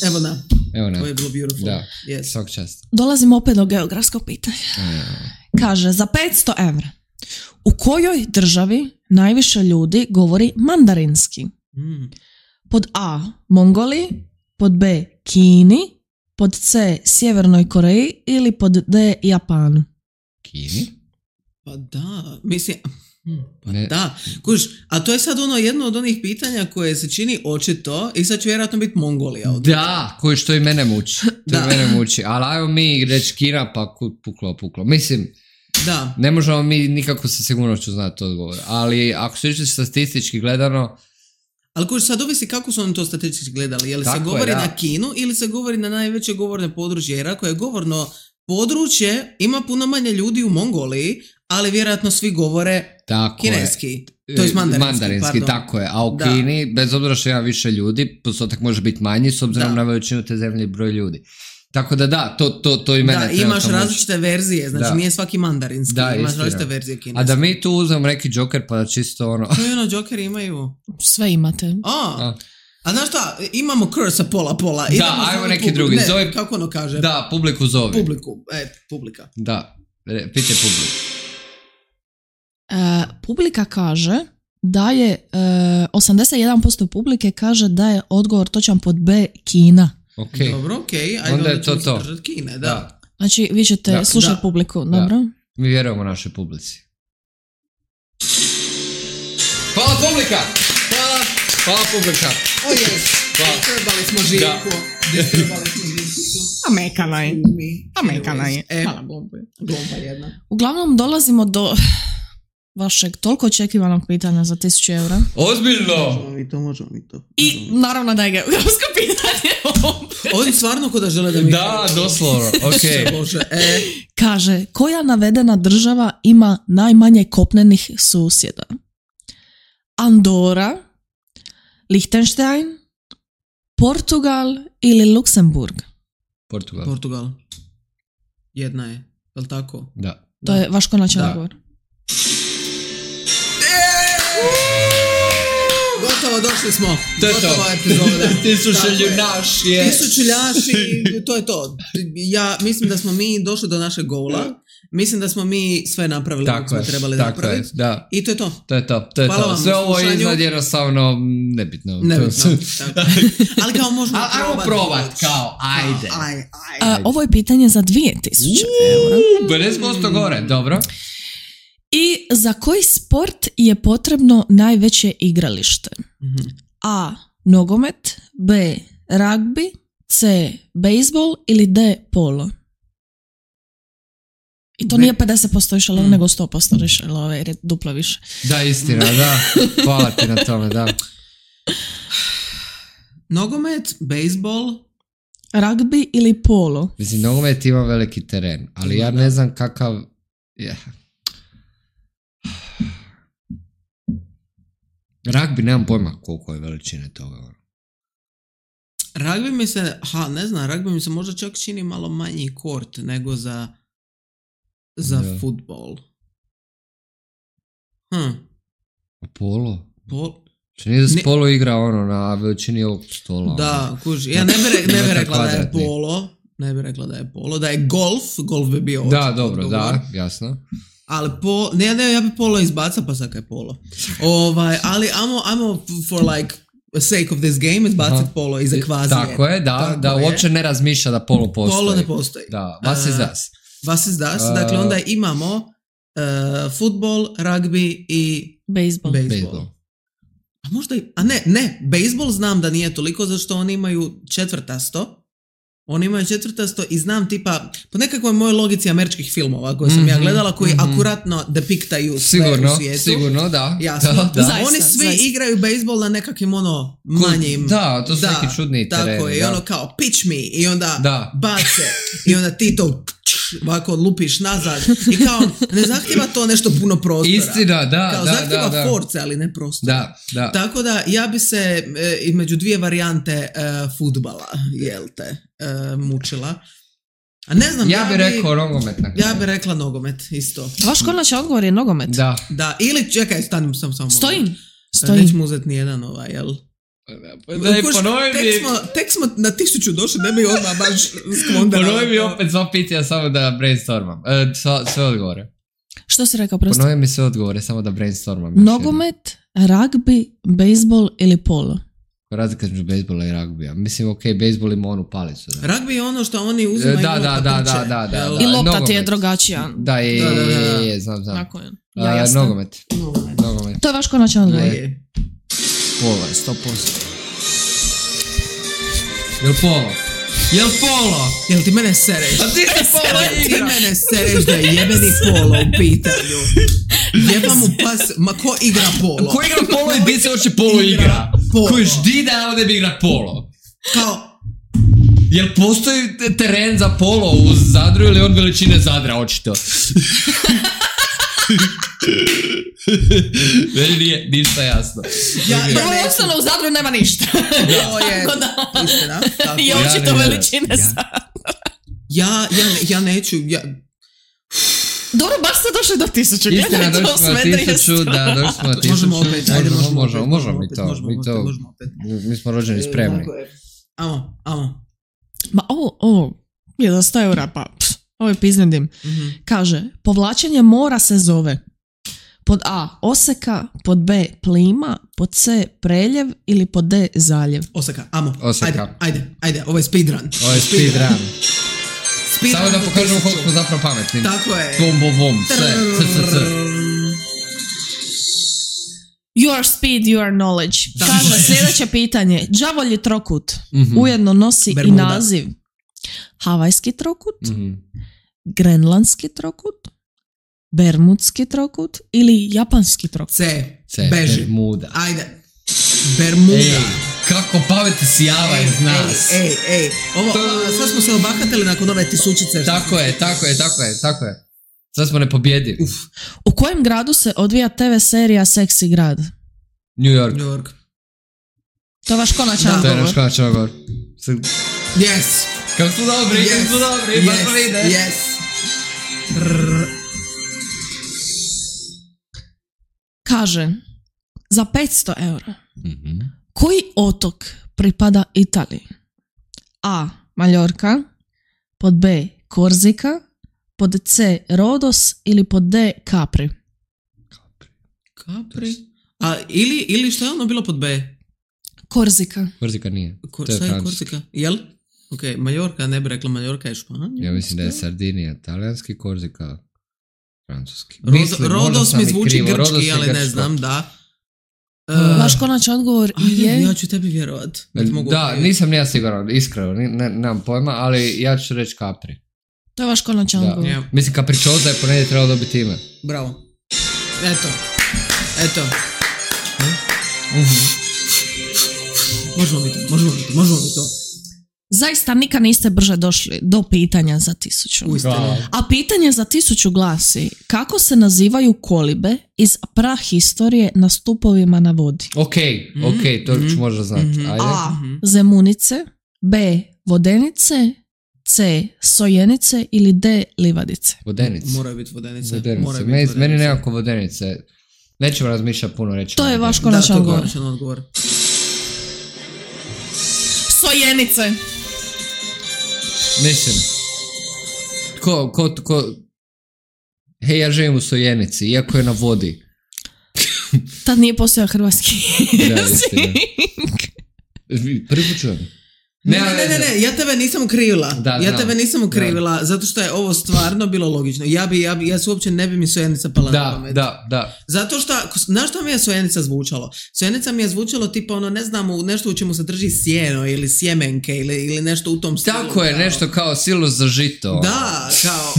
Evo na. To je bilo beautiful. Da, yes. svak čast. Dolazimo opet do geografskog pitanja. Kaže, za 500 evra, u kojoj državi najviše ljudi govori mandarinski? Pod A Mongoliji, pod B Kini, pod C Sjevernoj Koreji ili pod D Japanu? Kini? Pa da, mislim... Da, kuš, a to je sad jedno od onih pitanja koje se čini očito i sad će vjerojatno biti Mongolija. Da, koji što i mene muči. Ali ajmo mi reći Kina pa puklo. Mislim, da. Ne možemo mi nikako sa sigurnošću znati odgovor. Ali ako se išli statistički gledano... Ali kuš, sad ovisi kako su oni to statistički gledali. Je li se govori na Kinu ili se govori na najveće govorne područje? Jer ako je govorno područje, ima puno manje ljudi u Mongoliji, ali vjerojatno svi govore kineski. To je mandarinski, tako je. A u Kini, bez obzira što ima više ljudi, postotak može biti manji s obzirom na veličinu te zemlje i broj ljudi. Tako da, to i mene da, imaš različite verzije, znači nije svaki mandarinski, imaš različite verzije kineske. A da mi tu uzmem neki Joker pa da čisto To je Joker imaju. Sve imate. A znaš šta, imamo curse pola. Da, ajmo neki drugi. Ne, kako ono kaže? Da, publiku zove. Publika. Da, pitaj publiku. Publika kaže da je 81% publike kaže da je odgovor točan pod B Kina. Okay. Dobro, okej. Ajde onda je to. Kine, da. Znači, vi ćete slušati publiku, dobro? Mi vjerujemo našoj publici. Hvala publika! Hvala publika! O jes, trebali smo živku. A mekana je. Hvala glomba jedna. Uglavnom dolazimo do vašeg toliko očekivanog pitanja za 1000 eura. Ozbiljno! Možemo mi to. I naravno da je geografsko pitanje. Oni stvarno ko da žele da mi... Da, doslovno, okej. Kaže, koja navedena država ima najmanje kopnenih susjeda? Andora, Liechtenstein, Portugal ili Luksemburg? Portugal. Jedna je, je li tako? Da. To je vaš konačan odgovor. Gotovo, došli smo. To je to. Epizoda. 1000 ljunaš je. 1000 ljunaši, to je to. Ja mislim da smo mi došli do našeg goala. Mislim da smo mi sve napravili kako smo trebali napraviti. Da. I to je to. To je to. Sve ovo je iznad jednostavno nebitno. Ali kao možemo probati. Kao, ajde. Ovo je pitanje za 2000 eura. 50% gore, dobro. I za koji sport je potrebno najveće igralište? A. Nogomet, B. Ragbi, C. Bejsbol ili D. Polo? I to nije 50% išalo, nego 100% išalo, jer je duplo više. Da, istina, da. Hvala ti na tome, da. Nogomet, bejsbol, ragbi ili polo? Mislim, nogomet ima veliki teren, ali ja ne znam kakav... Ragbi, nemam pojma koliko je veličine toga. Ragbi mi se, ragbi mi se možda čak čini malo manji kort nego za futbol. Polo? Čini da se polo igra na veličini ovog stola. Da, kuži. Ja ne bi rekla da je polo. Ne bi rekla da je polo. Da je golf bi bio da, dobro, odgovor. Da, jasno. Ali ja bi polo izbaca, pa sad je polo. Ali I'm for like sake of this game izbaciti polo iz ekvazije. Tako je, da uopće ne razmišlja da polo postoji. Polo ne postoji. Da, was is das? Was is das? Dakle, onda imamo futbol, rugby i bejsbol. A možda ne, bejsbol znam da nije toliko, zašto oni imaju četvrtasto. Oni imaju četvrtasto i znam tipa, po nekakvoj mojoj logici američkih filmova koje sam ja gledala, koji akuratno depiktaju sve u svijetu. Sigurno, da. Jasno. Da. Zaista, oni svi igraju bejsbol na nekakvim manjim. Da, to su neki čudni tereni. Tako je, i ono kao pitch me i onda bace i onda ti to ovako lupiš nazad i kao ne zahtjeva to nešto puno prostora. Istina, da. Kao zahtjeva force, ali ne prostora. Da. Tako da ja bi se između dvije varijante fudbala, jel te, mučila. A ne znam, ja bih rekao nogomet. Ja bih rekla nogomet, isto. Vaš konačan odgovor je nogomet? Da, ili čekaj, stanim samo. Stojim. Nećemo uzeti nijedan jel? Tek smo na 1000 došli, ne bi odmah baš skvondala. Ponovi mi opet sva pitanja samo da brainstormam. Sve odgovore. Što si rekao prosto? Ponovi mi sve odgovore, samo da brainstormam. Nogomet, rugby, bejsbol ili polo? Razlika između bejsbola i ragbija. Mislim, bejsbol ima onu palicu. Da. Ragbi je ono što oni uzimaju da. I lopta ti je drugačija. Da, znam. Tako je. Nogomet. To je vaš konačan odgovor. Polo je 100%. Jel polo? Jel ti mene sereš? A ti mene sereš da je jebeni polo u pitanju. Jeba mu pas, ko igra polo? Ko igra polo i gdje se hoće polo igra? Ko ždi da ovdje bi igra polo? Kao... Jel postoji teren za polo u Zadru ili on veličine Zadra, očito? Meni nije ništa jasno. Prvo je ostalo u Zadru nema ništa. To je istina. I očito veličine Zadra. Ja neću... Dobro, baš ste došli do 1000. Istina, došli smo do 1000, da, došli smo do 1000. Možemo opet, ajde, možemo mi to. Mi smo rođeni spremni. Amo. Ma ovo je da 100 eura, pa ovo je piznedim. Kaže, povlačenje mora se zove pod A oseka, pod B plima, pod C preljev ili pod D zaljev. Oseka, ajde, ovo je speedrun. Samo da pokažemo koliko smo zapravo pametni. Tako je. Bom, C. Your speed, your knowledge. Kaže, sljedeće pitanje. Đavolji trokut ujedno nosi Bermuda. I naziv havajski trokut, grenlandski trokut, bermudski trokut ili japanski trokut. C. Beži. Bermuda. Ajde. Bermuda. Ej, kako pameti sjava iz nas. Ej. Sad smo se obahatili nakon ove tisućice. Tako je. Sad smo nepobjedivi. U kojem gradu se odvija TV serija Seksi grad? New York. To je vaš konačan odgovor. To je naš konačan odgovor. Yes. Kako su dobri, baš to ide. Yes. Kaže, za 500 eura, koji otok pripada Italiji? A. Maljorka, pod B. Korzika, pod C. Rodos ili pod D. Capri? A ili što je ono bilo pod B? Korzika. Korzika nije. Šta je Korzika? Jel? Ok, Maljorka, ne bi rekla Maljorka je Španija. Ja mislim da je Sardinija, talijanski, Korzika, francuski. Rodos mi zvuči grčki, ali ne znam, da. Vaš konačan odgovor je... Ja ću tebi vjerovat. Da, nisam ja siguran, iskreno, nemam pojma, ali ja ću reći Capri. To je vaš konačan odgovor. Yeah. Mislim, Capricciosa je ponedje trebalo dobiti ime. Bravo. Eto. Možemo mi to. Zaista nikad niste brže došli do pitanja za 1000. A pitanje za 1000 glasi, kako se nazivaju kolibe iz prahistorije na stupovima na vodi? Ok, to ću možda znati. Ajde. A. Zemunice, B. Vodenice, C. Sojenice ili D. Livadice? Vodenice. Moraju biti vodenice. Meni nekako vodenice. Nećemo razmišljati puno, reći. To je vaš Da, konačan to je odgovor. konačan odgovor. Sojenice. Mislim. Ko... Hej, ja živim u Sojenici, iako je na vodi. Tad nije postojao hrvatski Da, jezik. Prvi put čujem. Ne, ja tebe nisam ukrivila. Da, tebe nisam ukrivila, zato što je ovo stvarno bilo logično. Ja se uopće ne bi mi Sojenica pala na pamet. Da. Zato što, znaš što mi je Sojenica zvučalo? Sojenica mi je zvučalo tipa ono, ne znam, nešto u čemu se drži sjeno ili sjemenke ili nešto u tom stilu. Tako je, kao, nešto kao silu za žito. Da, kao,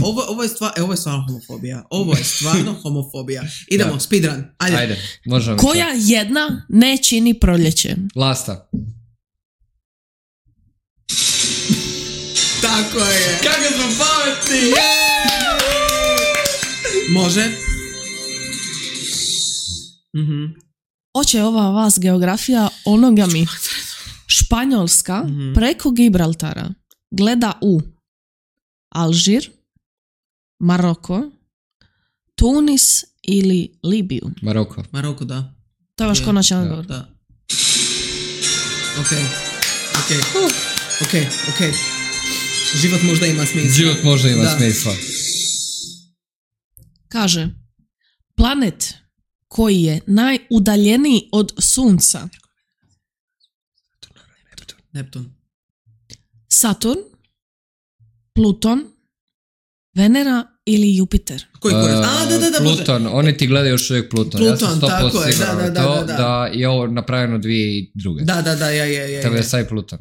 ovo je stvarno homofobija. Ovo je stvarno homofobija. Idemo, speedrun. Ajde, možemo. Koja jedna ne čini proljeće? Lasta. Tako je. Kako smo pametni! Može. Oće ova vas geografija onoga mi. Španjolska preko Gibraltara gleda u Alžir, Maroko, Tunis ili Libiju. Maroko, da. To je vaš konačan odgovor. Da. Ok. Život možda ima smisla. Kaže, planet koji je najudaljeniji od Sunca. Neptun. Saturn, Pluton, Venera ili Jupiter. Koji korist? Da, Pluton, oni ti gledaju još uvijek Pluton. Ja sam 100% tako je, siguran da je ovo napravljeno 2002. Da, je. Tebe je saj Pluton.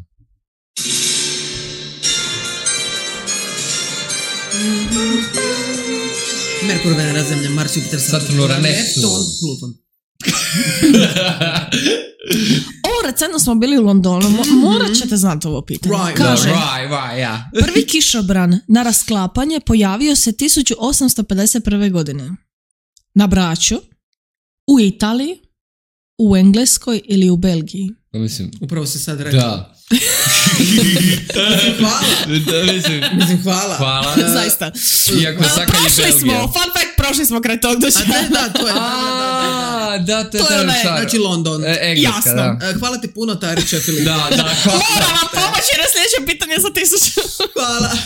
Merkur, Venera, Zemlja, Mars, Jupiter, Saturn, Uranus, Neptun, Pluton. Ovo recentno smo bili u Londonu, morat ćete znati ovo pitanje. Kaže, prvi kišobran na rasklapanje pojavio se 1851. godine. Na Braču, u Italiji, u Engleskoj ili u Belgiji. Mislim, upravo si sad rekao. Da. Hvala. Hvala. Zaista. Fun fact, prošli smo kraj tog doći. Da, to je. Da, to je znači London. Engleska, da. Hvala ti puno, Tariće Filip. Da, hvala. Moram vam pomoći na sljedeće pitanje za 1000. Hvala.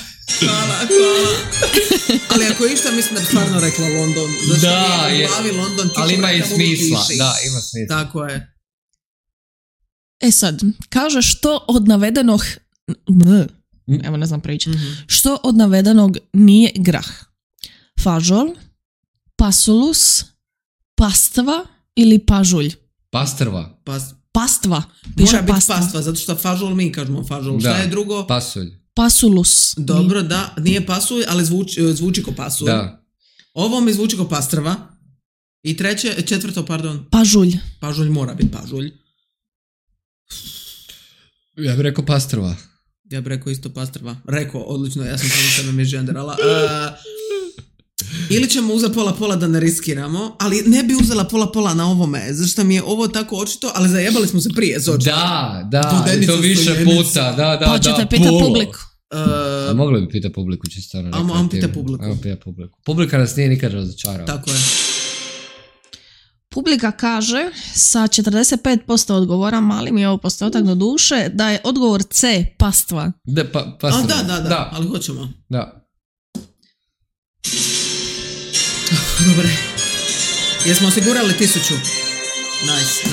Ali ako je išta, mislim da bi stvarno rekla London. Da, je. London, ali ima i smisla. Da, ima smisla. Tako je. E sad, kaže što od navedenog... Evo, ne znam pričati. Što od navedenog nije grah? Fažol, pasulus, pastva ili pažulj? Pastrva. Pastva. Mora biti pastva, zato što fažol mi kažemo fažol. Šta je drugo? Pasulj. Pasulus. Dobro, da. Nije pasulj, ali zvuči ko pasulj. Da. Ovo mi zvuči ko pastrva. I četvrto, pažulj. Pažulj mora biti pažulj. Ja bih rekao pastrva. Ja bih rekao isto pastrva. Rekao, odlično, ja sam samo sebe međenderala. Ili ćemo uzeti pola da ne riskiramo, ali ne bi uzela pola na ovome, zašto mi je ovo tako očito, ali zajebali smo se prije. Da, to više puta. Da, pa ćete pitati publiku. Mogli bi pitati publiku, čisto. Ajmo pitati publiku. Publika nas nije nikad razočarala. Tako je. Publika kaže sa 45% odgovora, mali mi je ovo postotak do duše, da je odgovor C, pastva. Pastva. Da, ali hoćemo. Da. Dobre. Jesmo osigurali 1000? Nice.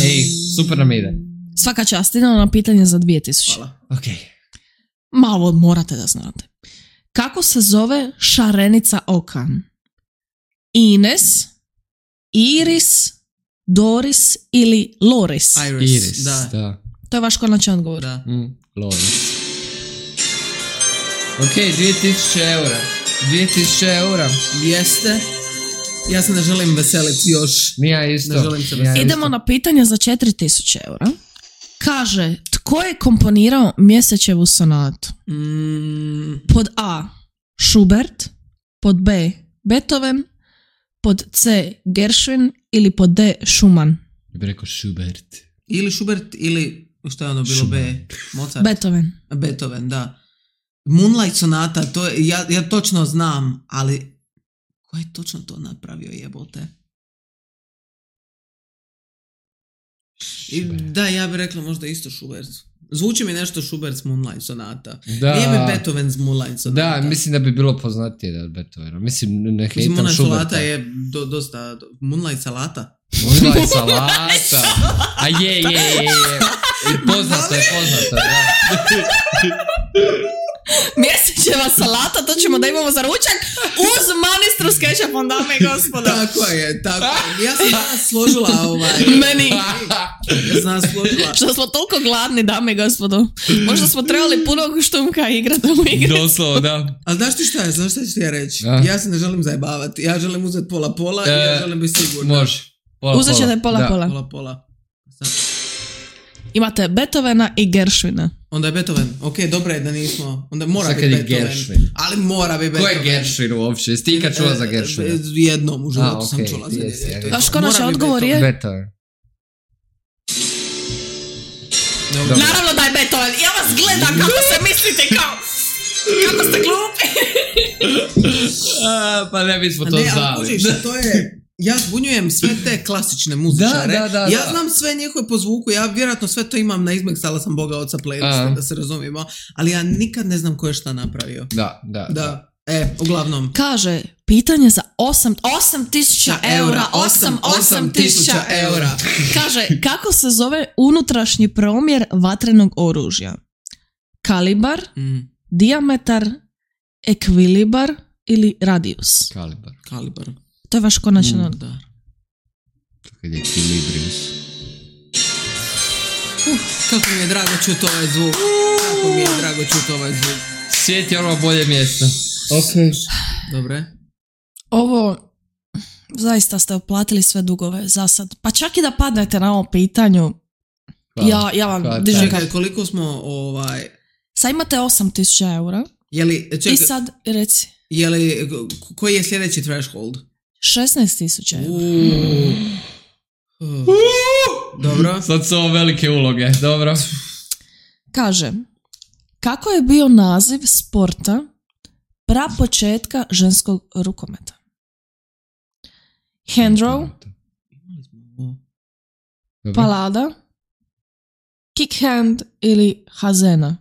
Ej, super nam ide. Svaka čast, idemo na pitanje za 2000. Hvala. Ok. Malo morate da znate. Kako se zove šarenica oka? Ines, Iris, Doris ili Loris? Iris, da. To je vaš konačan odgovor. Da. Loris. Ok, 2000 eura. 2000 eura. Jeste. Ja se ne želim veseliti još. Nija isto. Ne želim se veseliti. Idemo na pitanje za 4000 eura. Kaže, tko je komponirao Mjesečevu sonatu? Pod A. Schubert, pod B. Beethoven, pod C. Gershwin ili pod D. Schumann? Ja bih rekao Schubert. Ili Schubert ili što je ono bilo B? Mozart? Beethoven, da. Moonlight sonata, to je, ja točno znam, ali Ko je točno to napravio, jebote? I da, ja bih rekla možda isto Schubert. Zvuči mi nešto Schubert's Moonlight sonata. Da. Nije mi Beethoven's Moonlight sonata. Da, mislim da bi bilo poznatije od Beethovena. Mislim, ne hejtam Moonlight Schuberta. salata je dosta... Moonlight salata? Moonlight salata. A je. Poznato je, da. Mjesečeva salata, to ćemo da imamo za ručak uz manistru s kečapom, dame i gospodo. Tako je. Ja sam danas složila Meni. Ja sam danas složila. Što smo toliko gladni, dame i gospodo. Možda smo trebali puno štumka igrati u igri. Doslovno, da. Ali znaš ti šta je? Znaš šta ću ti ja reći? Ja se ne želim zajebavati. Ja želim uzeti pola i ja želim biti sigurna. Može. Uzet ćete pola. Pola. Imate Beethovena i Gershwina. Onda je Beethoven. Ok, dobro je da nismo. Onda mora biti Beethoven. Gershwin. Ali mora biti Beethoven. Ko je Gershwin uopće? Jesi ti ikad čula za Gershwina? Jednom u životu sam čula za njega. Vaš konačni odgovor je? Beethoven. Naravno da je Beethoven. Ja vas gledam kako se mislite kao... Kako ste glupi. Pa ne bismo to znali. Ne, ali kužiš, to je... Ja zbunjujem sve te klasične muzičare. Ja znam sve njihove po zvuku, ja vjerojatno sve to imam na izmeksala sam Boga Oca playliste, da se razumijemo, ali ja nikad ne znam ko je šta napravio. Da. Uglavnom. Kaže, pitanje za 8.000 eura. 8.000 eura. Kaže, kako se zove unutrašnji promjer vatrenog oružja? Kalibar, dijametar, ekvilibar ili radijus? Kalibar. To je vaš konačan odgovor. Kad je ekvilibrius. Kako mi je drago čuti ovaj zvuk. Svijet je ono bolje mjesto. Ok. Dobre. Ovo, zaista ste oplatili sve dugove za sad. Pa čak i da padnete na ovo pitanju, ja vam dižem. Čekaj, koliko smo Sad imate 8.000 eura. I sad, reci. Koji je sljedeći threshold? 16.000 eura. Dobro. Sad su ovo velike uloge, dobro. Kaže, kako je bio naziv sporta prapočetka ženskog rukometa? Handrow, palada, kickhand ili hazena?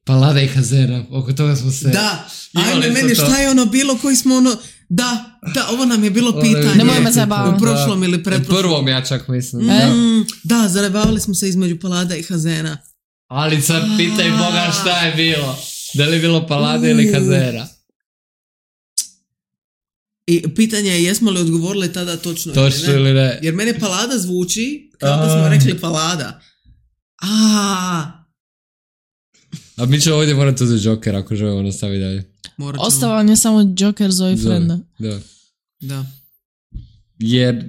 Palada i hazena, oko toga smo se... Da, ajme meni šta je ono bilo koji smo ono... Da, ovo nam je bilo pitanje. Nemoj me zabavati. U prošlom ili pretprošlom. U prvom ja čak mislim. Da, zajebavali smo se između palada i hazena. Ali sad pitaj Boga šta je bilo. Da li je bilo palada ili hazena? I pitanje je jesmo li odgovorili tada točno ili ne. Jer meni palada zvuči kao da smo rekli palada. A mi ćemo ovdje morati uzeti Joker ako želimo nastaviti dalje. Ostao vam je samo Joker Zoe Frenda. Da. Jer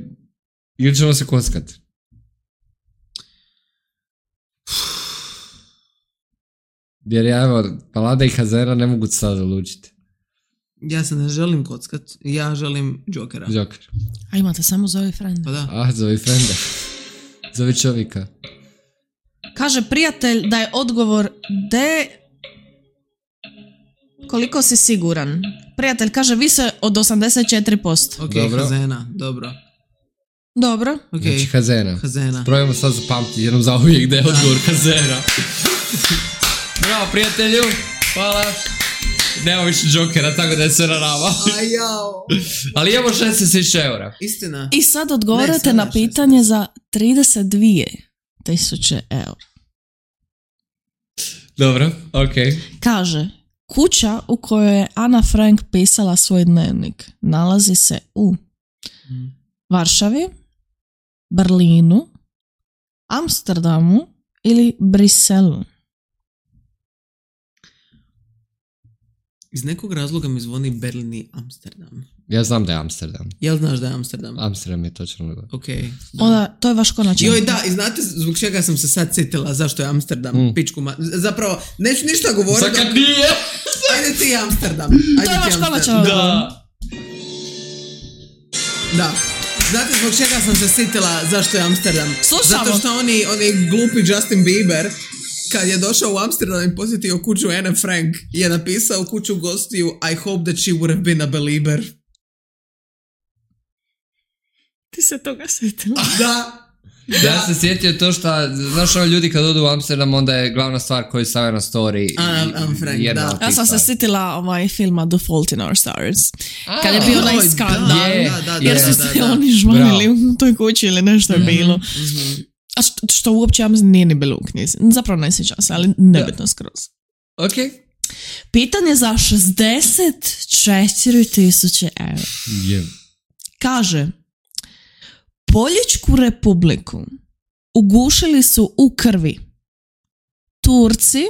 ili ćemo se kockati. Jer palada i hazena ne mogu sad odlučiti. Ja se ne želim kockat, ja želim Jokera. Joker. A imate samo Zoe Frenda. Pa da. Zoe Frenda. Zoe čovjeka. Kaže prijatelj da je odgovor D. Koliko si siguran? Prijatelj kaže više od 84%. Ok, dobro. Hazena, dobro. Okay. Znači hazena. Probajmo sad zapamtiti jednom za uvijek da je odgovor hazena. Bravo prijatelju, hvala. Nema više Jokera, tako da je sve na nama. Ali imamo 16.000 eura. Istina. I sad odgovorite na pitanje za 32.000 eura. Dobro, ok. Kaže, kuća u kojoj je Ana Frank pisala svoj dnevnik nalazi se u Varšavi, Berlinu, Amsterdamu ili Briselu. Iz nekog razloga mi zvoni Berlin i Amsterdam. Ja znam da je Amsterdam. Jel znaš da je Amsterdam? Amsterdam je točno. Ok. Onda, to je vaš konačan. Joj, da, i znate zbog čega sam se sad sjetila zašto je Amsterdam pičku zapravo, neću ništa govoriti. Zakad nije? Ajde ti Amsterdam. To je vaš konačan. Da. Znate zbog čega sam se sjetila zašto je Amsterdam? Slušamo. Zato što oni glupi Justin Bieber kad je došao u Amsterdam i posjetio kuću Anne Frank je napisao kuću gostiju I hope that she would have been a belieber. Ti se toga sjetila? Da. Ja se sjetio to što, znaš ovo ljudi kad odu u Amsterdam, onda je glavna stvar koju stave na story. Anne Frank, jedna da. od tih Ja sam se stvari. sjetila filma The Fault in Our Stars. Kad je bio onaj Oj, skandal. da, Jer su da, se da. oni žvalili u toj kući ili nešto je bilo. Mhm. A što uopće ja mislim nije ni bilo u knjizi. Zapravo ne sjećam se, ali nebitno skroz. Ok. Pitanje za 64.000 eura. Je. Kaže, Poljičku republiku ugušili su u krvi Turci,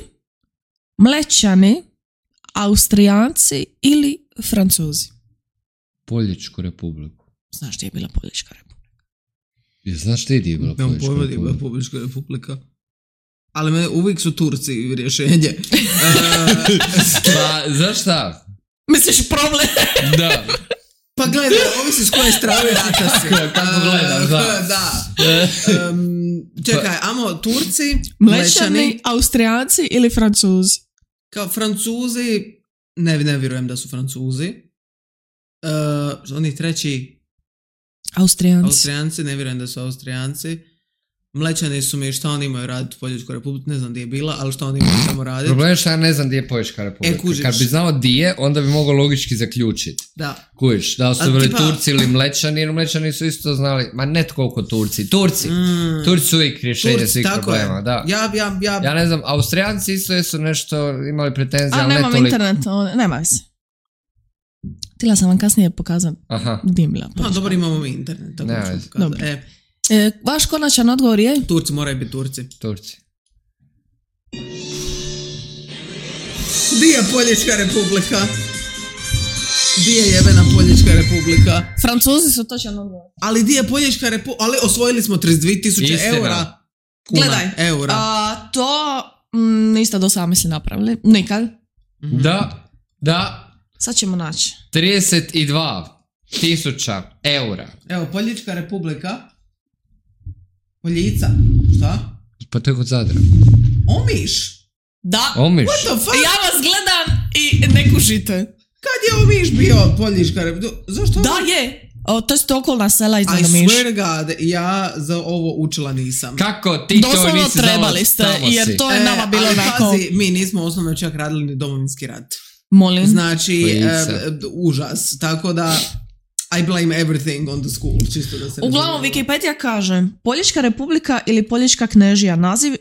Mlečani, Austrijanci ili Francuzi. Poljičku republiku. Znaš gdje je bila Poljička republika? Znaš ti gdje je bila Nemam Poljička pojma gdje je bila republika? Poljička republika. Ali uvijek su Turci rješenje. Pa, znaš šta? Misliš problem? Da. Pa gledaj, ovisi s koje strane rata si. Kako gledaš, da. Da. Čekaj, amo Turci, Mlečani, Austrijanci ili Francuzi? kao Francuzi, ne vjerujem da su Francuzi. Oni treći, Austrijanci. Austrijanci, ne vjerujem da su Austrijanci. Mlečani su mi, šta oni imaju raditi u Poljičkoj republici, ne znam gdje je bila, ali šta oni imaju tamo raditi. Problem je što ja ne znam gdje je Poljička republika. kužiš. Kad bi znao gdje je, onda bi mogao logički zaključiti. Da. Kužiš, da li su A bili tipa- Turci ili Mlečani, jer Mlečani su isto znali, ma ne koliko Turci. Turci su uvijek rješenje Turci, svih tako problema, je. da. Ja, Ja ne znam, Austrijanci isto su nešto imali pretenzije, A ali ne nemam toliko. internet, nema se. Htjela sam vam kasnije pokazati Aha. gdje je bila Pa Poljička. dobro, imamo mi internet. Tako Ne, ću veze. pokazati. Dobro. Vaš konačan odgovor je? Turci moraju biti Turci. Turci. Di je Poljička republika? Di je jebena Poljička republika? Francuzi su točan odgovor. Ali di je Poljička republika? Ali osvojili smo 32.000 Istina. eura. Kuna, Gledaj, eura. to niste do sada misli napravili. Nikad. Da, Sad ćemo naći. 32.000 eura. Evo, Poljička republika. Poljica. Šta? Pa to je kod Zadra. Omiš. Da. Omiš. What the fuck? Ja vas gledam i ne kužite. Kad je Omiš bio Poljička republika? Zašto? Da je. To su okolna sela I iznad Omiš. swear God, ja za ovo učila nisam. Kako ti to Doslovno nisi znala, trebali ste, tamo jer si. to je nama bilo ali onako... pazi, mi nismo osnovno čak radili ni Domovinski rat. Molim. Znači, Poljica. užas. Tako da, I blame everything on the school. Čisto da se ne Uglavnom, razumijemo. Wikipedia kaže Poljička republika ili Poljička knežija.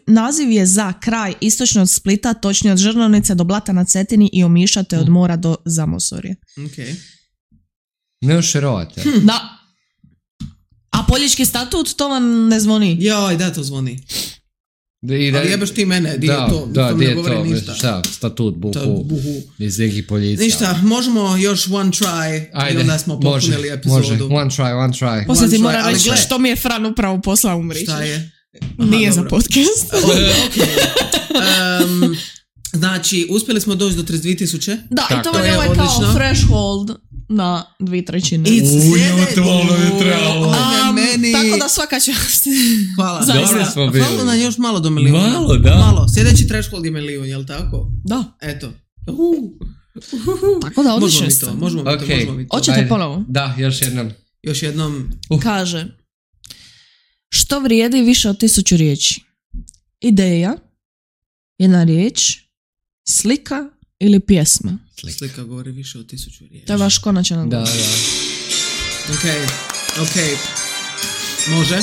Naziv je za kraj istočno od Splita, točnije od Žrnovnice do Blata na Cetini i Omiša te od mora do Zamosorje. Okay. Ne ošerovate. Da. A Poljički statut, to vam ne zvoni. Joj, da, to zvoni. I Ali jebaš ti mene, di je to? Da, to di ne je govori to? ništa. Šta, statut, To je buhu, buhu. iz nekih poljica. Ništa, možemo još one try i onda smo popunili epizodu. Može, one try. Poslije ti One try, moram ali reći gle. što mi je Fran upravo poslao umrići. Šta je? Nije za dobro. podcast. Ok. Znači, uspjeli smo doći do 32.000. Da, i Tako to vam je je, ovaj kao odlično. threshold na 2/3. Meni. Tako da svaka čast. Hvala. Zaista. Dobro smo bili. Hvala nam još malo do milijuna. Malo, da. Malo. Sljedeći threshold je milijun, jel tako? Da, Eto. tako da Možemo odlični mi ste. to, možemo mi to, Ok. možemo mi to. Hoćete Ajde. ponovo? Da, još jednom. Još jednom. Kaže, što vrijedi više od 1000 riječi? Ideja, jedna riječ, slika ili pjesma? Slika govori više od 1000 riječi. To je vaš konačan Da, odgovor. da. Ok. Može.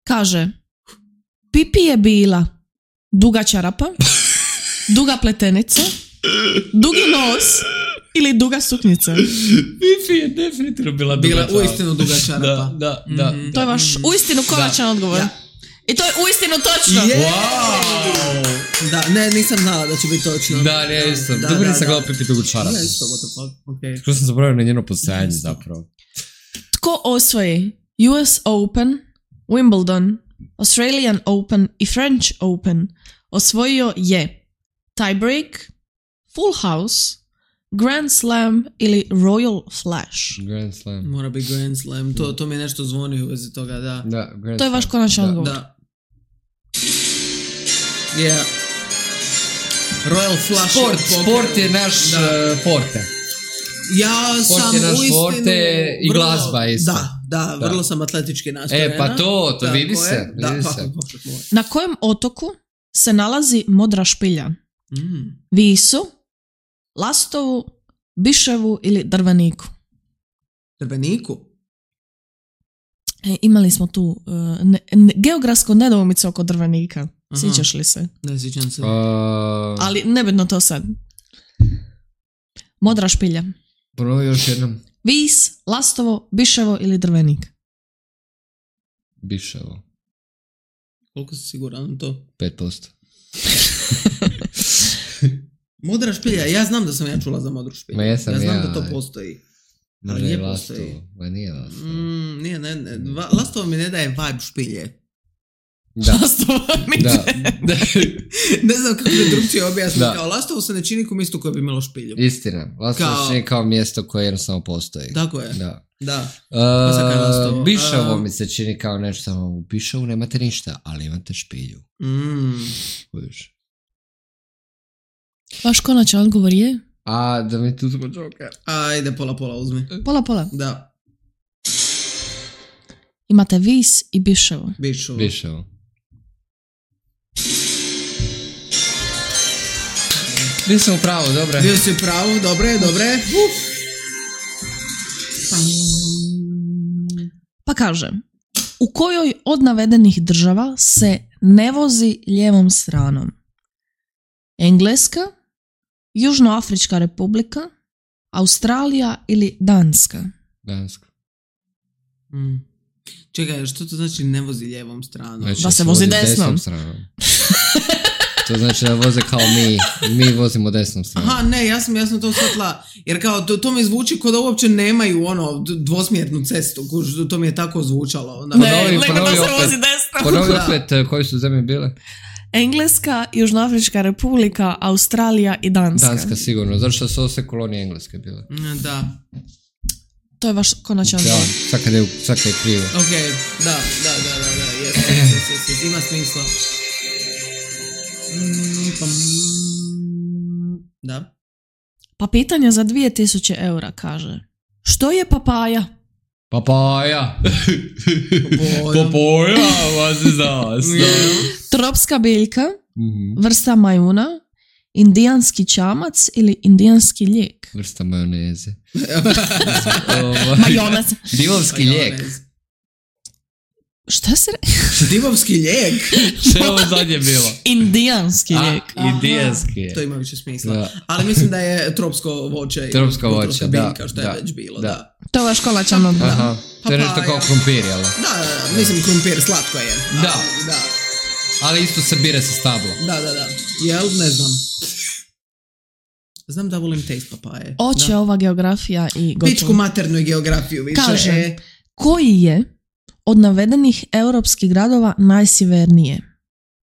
Kaže, Pipi je bila duga čarapa, duga pletenica, dugi nos ili duga suknjica. Fifi je definitivno bila Bila uistinu duga čarapa. Da. To je vaš uistinu konačan odgovor. Da. I to je uistinu točno. Wow! Da, ne, nisam znala da će biti točno. Da, ne, isto. Dobro nisam gledao Pipi dugu čarapu. Ja isto, what the fuck, ok. Skoro sam zaboravio na njeno postojanje zapravo. Tko osvoji US Open, Wimbledon, Australian Open i French Open osvojio je tiebreak, full house, Grand Slam ili Royal Flash. Grand Slam. Mora biti Grand Slam, to mi je nešto zvoni u vezi toga, da. Da, Grand To je vaš Slam. konačan Da. odgovor. Da. Yeah. Royal Flush. Sport je naš Da. forte. Ja Sport sam je naš uistinu forte i glazba isto. Da, vrlo sam atletički nastrojena. Pa to vidi se. Da, Na kojem otoku se nalazi Modra špilja? Visu, Lastovu, Biševu ili Drveniku? Drveniku? Imali smo tu geografsku nedoumicu oko Drvenika. Sjećaš li se? Ne sjećam se. Ali nebitno to sad. Modra špilja. Prvo još jednom. Vis, Lastovo, Biševo ili Drvenik? Biševo. Koliko si siguran to? 5%. Modra špilja, ja znam da sam ja čula za modru špilju. Ja znam da to postoji. Ali nije postoji. Nije Lastovo. Nije, Lastovo mi ne daje vibe špilje. Da. Ne znam kako je drugčije objasniti. Kao Lastovo se ne čini kao mjesto koje bi imalo špilju. Istina. Lastovo se čini kao mjesto koje jednostavno postoji. Tako je. Da. Biševo mi se čini kao nešto samo u Biševu nemate ništa, ali imate špilju. Vaš konačan odgovor je? Da mi tu smo Joker. Ajde, pola uzmi. Pola? Da. Imate Vis i Biševo. Biševo. Bio sam u pravu, dobre. Bio si u pravu, dobre. Pa kaže, u kojoj od navedenih država se ne vozi lijevom stranom? Engleska, Južnoafrička republika, Australija ili Danska? Danska. Čekaj, što to znači ne vozi lijevom stranom? Znači, da se vozi desnom stranom. To znači da voze kao mi vozimo desnom stranom. Aha, ne, ja sam to shvatila, jer kao to mi zvuči kao da uopće nemaju dvosmjernu cestu, to mi je tako zvučalo. Ponovi opet koji su zemlje bile? Engleska, Južnoafrička republika, Australija i Danska. Danska sigurno, zato što su ovo sve kolonije Engleske bile. Da. To je vaš konačan odgovor. Da, svaka je krivo. Ok, da, yes, ima smisla. Da. Pa pitanje za 2000 eura kaže, što je papaja? Papaja, vas je Tropska biljka, vrsta majuna, indijanski čamac ili indijanski lijek? Vrsta majoneze. Majonez. Divovski lijek. Šta se Divovski lijek? Što je ovo zadnje bilo? Indijanski lijek. Indijanski. To ima više smisla. Da. Ali mislim da je tropsko voće. Tropsko voće, biljka, što je već bilo. Da. To je vaš konačan odgovor. To je nešto kao krumpir, jel? Da, mislim krumpir slatko je. Da. Ali isto se bire sa stablom. Da. Jel? Ne znam. Znam da volim taste papaje. Oće ova geografija i gotovo. Pičku maternu i geografiju više. Kaže, koji je od navedenih europskih gradova najsjevernije?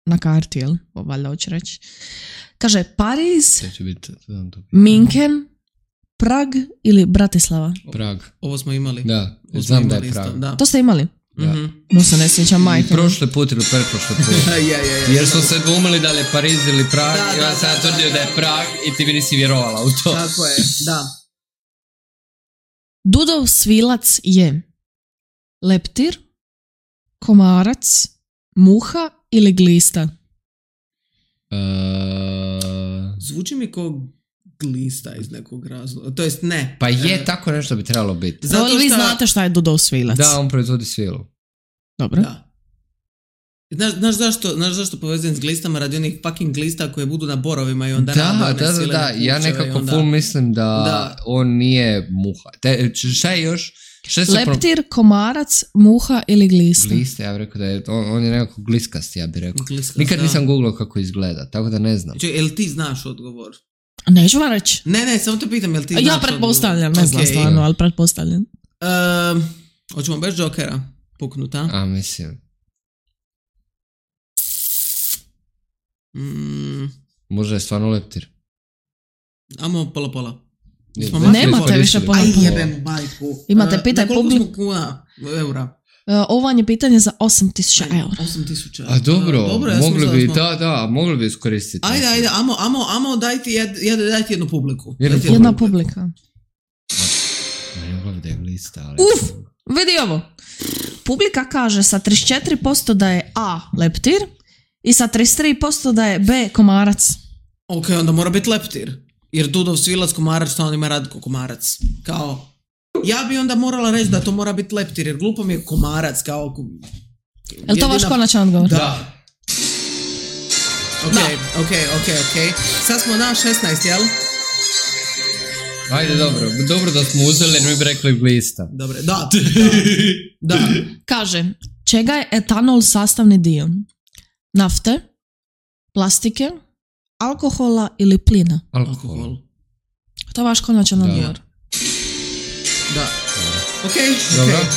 Na karti, jel? Valjda hoće reći. Kaže, Pariz, Minken, Prag ili Bratislava? Prag. Ovo smo imali. Da, znam da je Prag. To ste imali? Da. No se ne sjećam majka. Prošli put ili pretprošli put. Jer smo se dvumili da li je Pariz ili Prag. I ja sam tvrdio da je Prag i ti mi nisi vjerovala u to. Tako je, da. Dudov svilac je leptir, komarac, muha ili glista? Zvuči mi kao glista iz nekog razloga. To jest ne. Pa je, tako nešto bi trebalo biti. Zato vi znate šta je Dudov svilac? Da, on proizvodi svilu. Dobro. Da. Znaš zašto povezujem s glistama radi onih fucking glista koje budu na borovima i onda Da, ja nekako full mislim da on nije muha. Šta je još? Leptir, komarac, muha ili glista? Glista, ja bih rekao da je, on je nekako gliskast, ja bih rekao. Nikad nisam googlao kako izgleda, tako da ne znam. Jel ti znaš odgovor? Neću vam reći. Ne, samo te pitam, jel ti znaš odgovor? Ja pretpostavljam, ne znam stvarno, ali pretpostavljam. Hoćemo bez Jokera puknuta? A, mislim. Možda je stvarno leptir. Amo pola. Nemate više pola. Aj jebem majku. Imate pitaj publiku. Koliko smo kuna eura? Ovo vam je pitanje za 8.000 eura. 8.000. A dobro, mogli bi, mogli bi iskoristiti. Ajde, amo dajti jednu publiku. Jedna publika. Mogla bi da je glista, ali... Vidi ovo. Publika kaže sa 34% da je A leptir i sa 33% da je B komarac. Ok, onda mora biti leptir. Jer Dudov Svilac komarac, što on ima Radko komarac. Kao, ja bi onda morala reći da to mora biti leptir, jer glupo mi je komarac, kao... Je li to vaš konačan odgovor? Da. Ok. Sad smo na 16, jel? Ajde, dobro da smo uzeli, mi bi rekli glista. Dobre, da. Kaže, čega je etanol sastavni dio? Nafte, plastike, alkohola ili plina? Alkohol. To je vaš konačan odgovor. Da. Ok.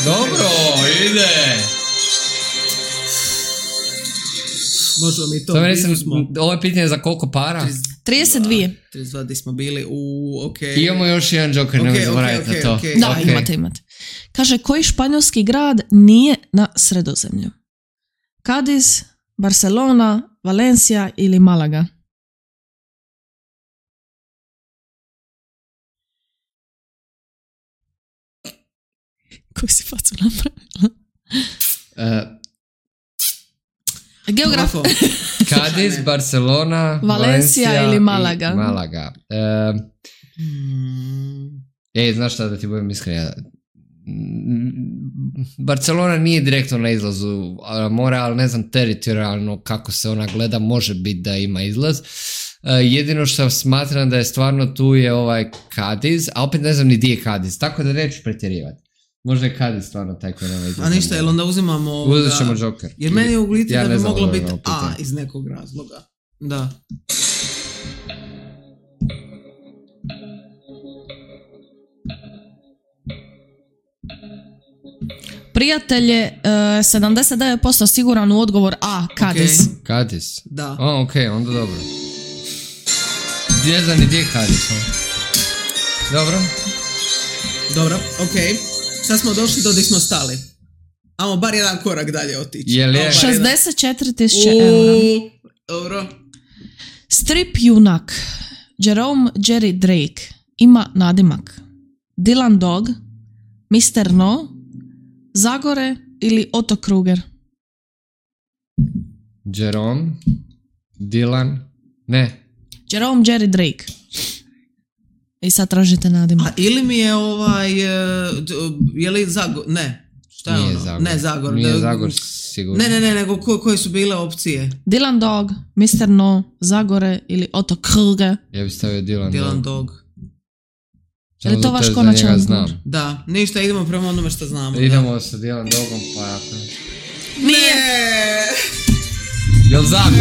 Dobro, ide. Možemo mi to. Ovo je pitanje za koliko para? 32. 32 di smo bili ok. Imamo još jedan joker, nemoj zaboraviti na to. Da, imate. Kaže, koji španjolski grad nije na Sredozemlju? Cadiz, Barcelona, Valencia ili Malaga? Koju si facu napravila? Geograf. Cadiz, Barcelona, Valencia ili Malaga. Malaga. Znaš šta da ti budem iskren? Barcelona nije direktno na izlazu mora, ali ne znam teritorijalno kako se ona gleda, može biti da ima izlaz. Jedino što smatram da je stvarno tu je ovaj Cadiz, a opet ne znam ni gdje je Cadiz, tako da neću pretjerivati. Možda je Cadiz stvarno taj koji nema izgleda. A ništa, jel onda uzimamo... Uzet ćemo Joker. Jer meni je u gliti da bi moglo biti A iz nekog razloga. Da. Prijatelj je 79% siguran u odgovor A, Cadiz. Okay. Cadiz? Da. Ok, onda dobro. Ne znam ni gdje je Cadiz. Dobro, ok. Sad smo došli do gdje smo stali. Amo bar jedan korak dalje otići. 64.000 eura. Dobro. Strip junak Jerome Jerry Drake ima nadimak Dylan Dog, Mr. No, Zagore ili Otto Kruger? Jerome, Dylan, ne. Jerome Jerry Drake. I sad tražite nadimak. A ili mi je je li Zagor? Ne. Šta je nije ono? Zagor. Ne, Zagor. Nije Zagor sigurno. Ne, nego koje su bile opcije? Dylan Dog, Mr. No, Zagore ili Otto Kruger? Ja bih stavio Dylan Dog. Je li to vaš konačan odgovor? Da, ništa, idemo prema onome što znamo. Idemo sa Dylan Dogom, pa jako. Nije! Jel Zagor?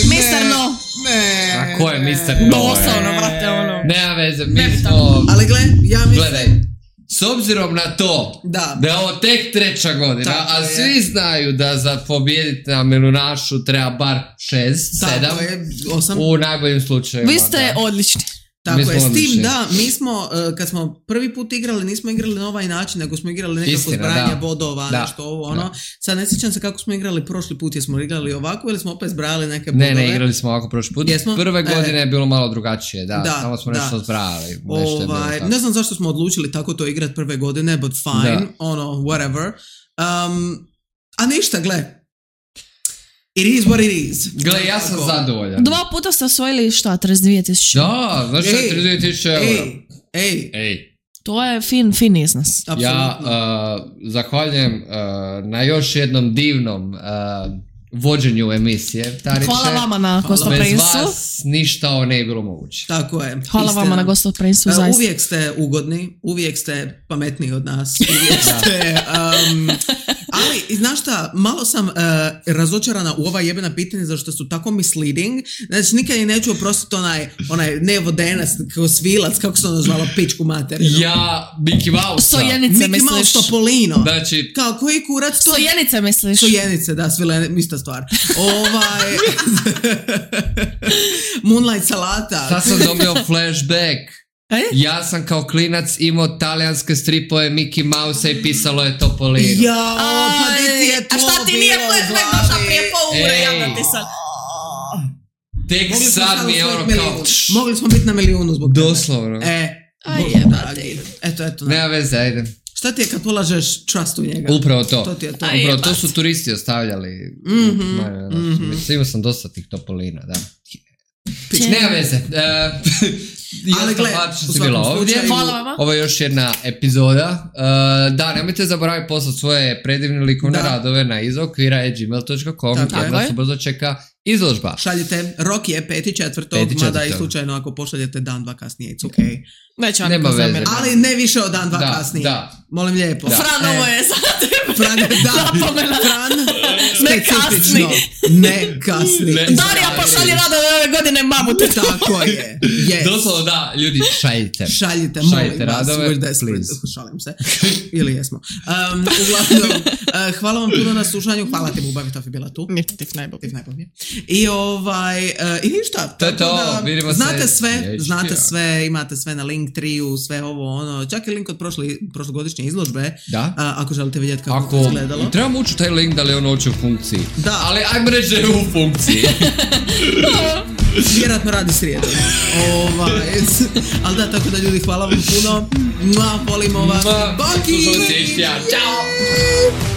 Mr. No! Ne. A ko je Mr. No? Doslovno, vrate, ono. Nema veze, mi smo... Ali ja mislim... Gledaj, s obzirom na to da je ovo tek 3. godina, tako a svi znaju da za pobijediti na Milunašu treba bar 6, 7, 8. U najboljim slučajevima. Vi ste odlični. Tako je, s tim da, mi smo, kad smo prvi put igrali, nismo igrali na ovaj način, nego smo igrali nekako zbrajanje bodova, nešto ovo, ono. Sad ne sjećam se kako smo igrali prošli put, jesmo igrali ovako ili smo opet zbrajali neke bodove? Ne, igrali smo ovako prošli put. Prve godine je bilo malo drugačije, tamo smo nešto zbrajali. Ne znam zašto smo odlučili tako to igrati prve godine, but fine, whatever. A ništa, gle. It is what it is. Gle, ja sam zadovoljan. 2 puta ste osvojili šta, 32.000? Da, znaš šta je 32.000 eura? Ej. To je fin iznos. Absolutno. Ja zahvaljujem na još jednom divnom vođenju emisije. Tariće. Hvala vama na gostoprinjstvu. Bez vas ništa ovo ne je bilo moguće. Tako je. Hvala vama na gostoprinjstvu, zaista. Uvijek ste ugodni, uvijek ste pametniji od nas, uvijek ste... Ali, znaš šta, malo sam razočarana u ova jebena pitanja zašto su tako misleading. Znači, nikad i neću oprostiti onaj nevodenac, kao Svilac, kako se ono zvalo, pičku materinu. Ja, Mickey Mouse. Sojenice misliš. Mickey Mouse Topolino. Znači... Kao, koji kurac to... Sojenice misliš. Sojenice, da, ista stvar. Moonlight salata. Sad sam dobio flashback. Ja sam kao klinac imao talijanske stripove Mickey Mouse i pisalo je Topolino. Jao, pa di ti je to bilo? A šta ti nije flashback došla prije pol ure, ja da ti sad... Tek sad mi je ono kao... Mogli smo biti na milijunu zbog tebe. Doslovno. Eto. Nema veze, ajde. Šta ti je kad polažeš trust u njega? Upravo to. To ti je to. Upravo to su turisti ostavljali. Imao sam dosta tih topolina, da. Nema veze. Ali gled, što si bila ovdje. Ovo je još jedna epizoda. Da, nemojte zaboraviti poslati svoje predivne likovne radove na izokvira@gmail.com jer nas brzo čeka izložba. Šaljite, rok je 5.4. Mada i slučajno ako pošaljete dan, dva kasnije, it's okay. Nema veze. Ali ne više od dan, dva kasnije. Molim lijepo. Fran, ovo je sad Fran, zapomena. Fran, specifično. Ne kasni. Darija pošalji radove ove godine mamuti. Tako je. Yes. Doslovno da, ljudi, šaljite molim vas. radove, please. Šalim se. Ili jesmo. Uglavnom, hvala vam puno na slušanju. Hvala ti, Bubavi, to je bila tu. Tiv najbolje. I ništa. To je to, vidimo se. Znate sve, imate sve na Linktree-u, sve ovo, ono, čak i link od prošlogodišnje izložbe. Da. Ako želite vidjeti kako je izgledalo. Trebamo ući taj link da li on uopće u funkciji. Da. Ali ajmo reći da je u funkciji. Vjerojatno radi srijedom. Ali da, tako da ljudi, hvala vam puno. Volimo vas. Baki! Ćao!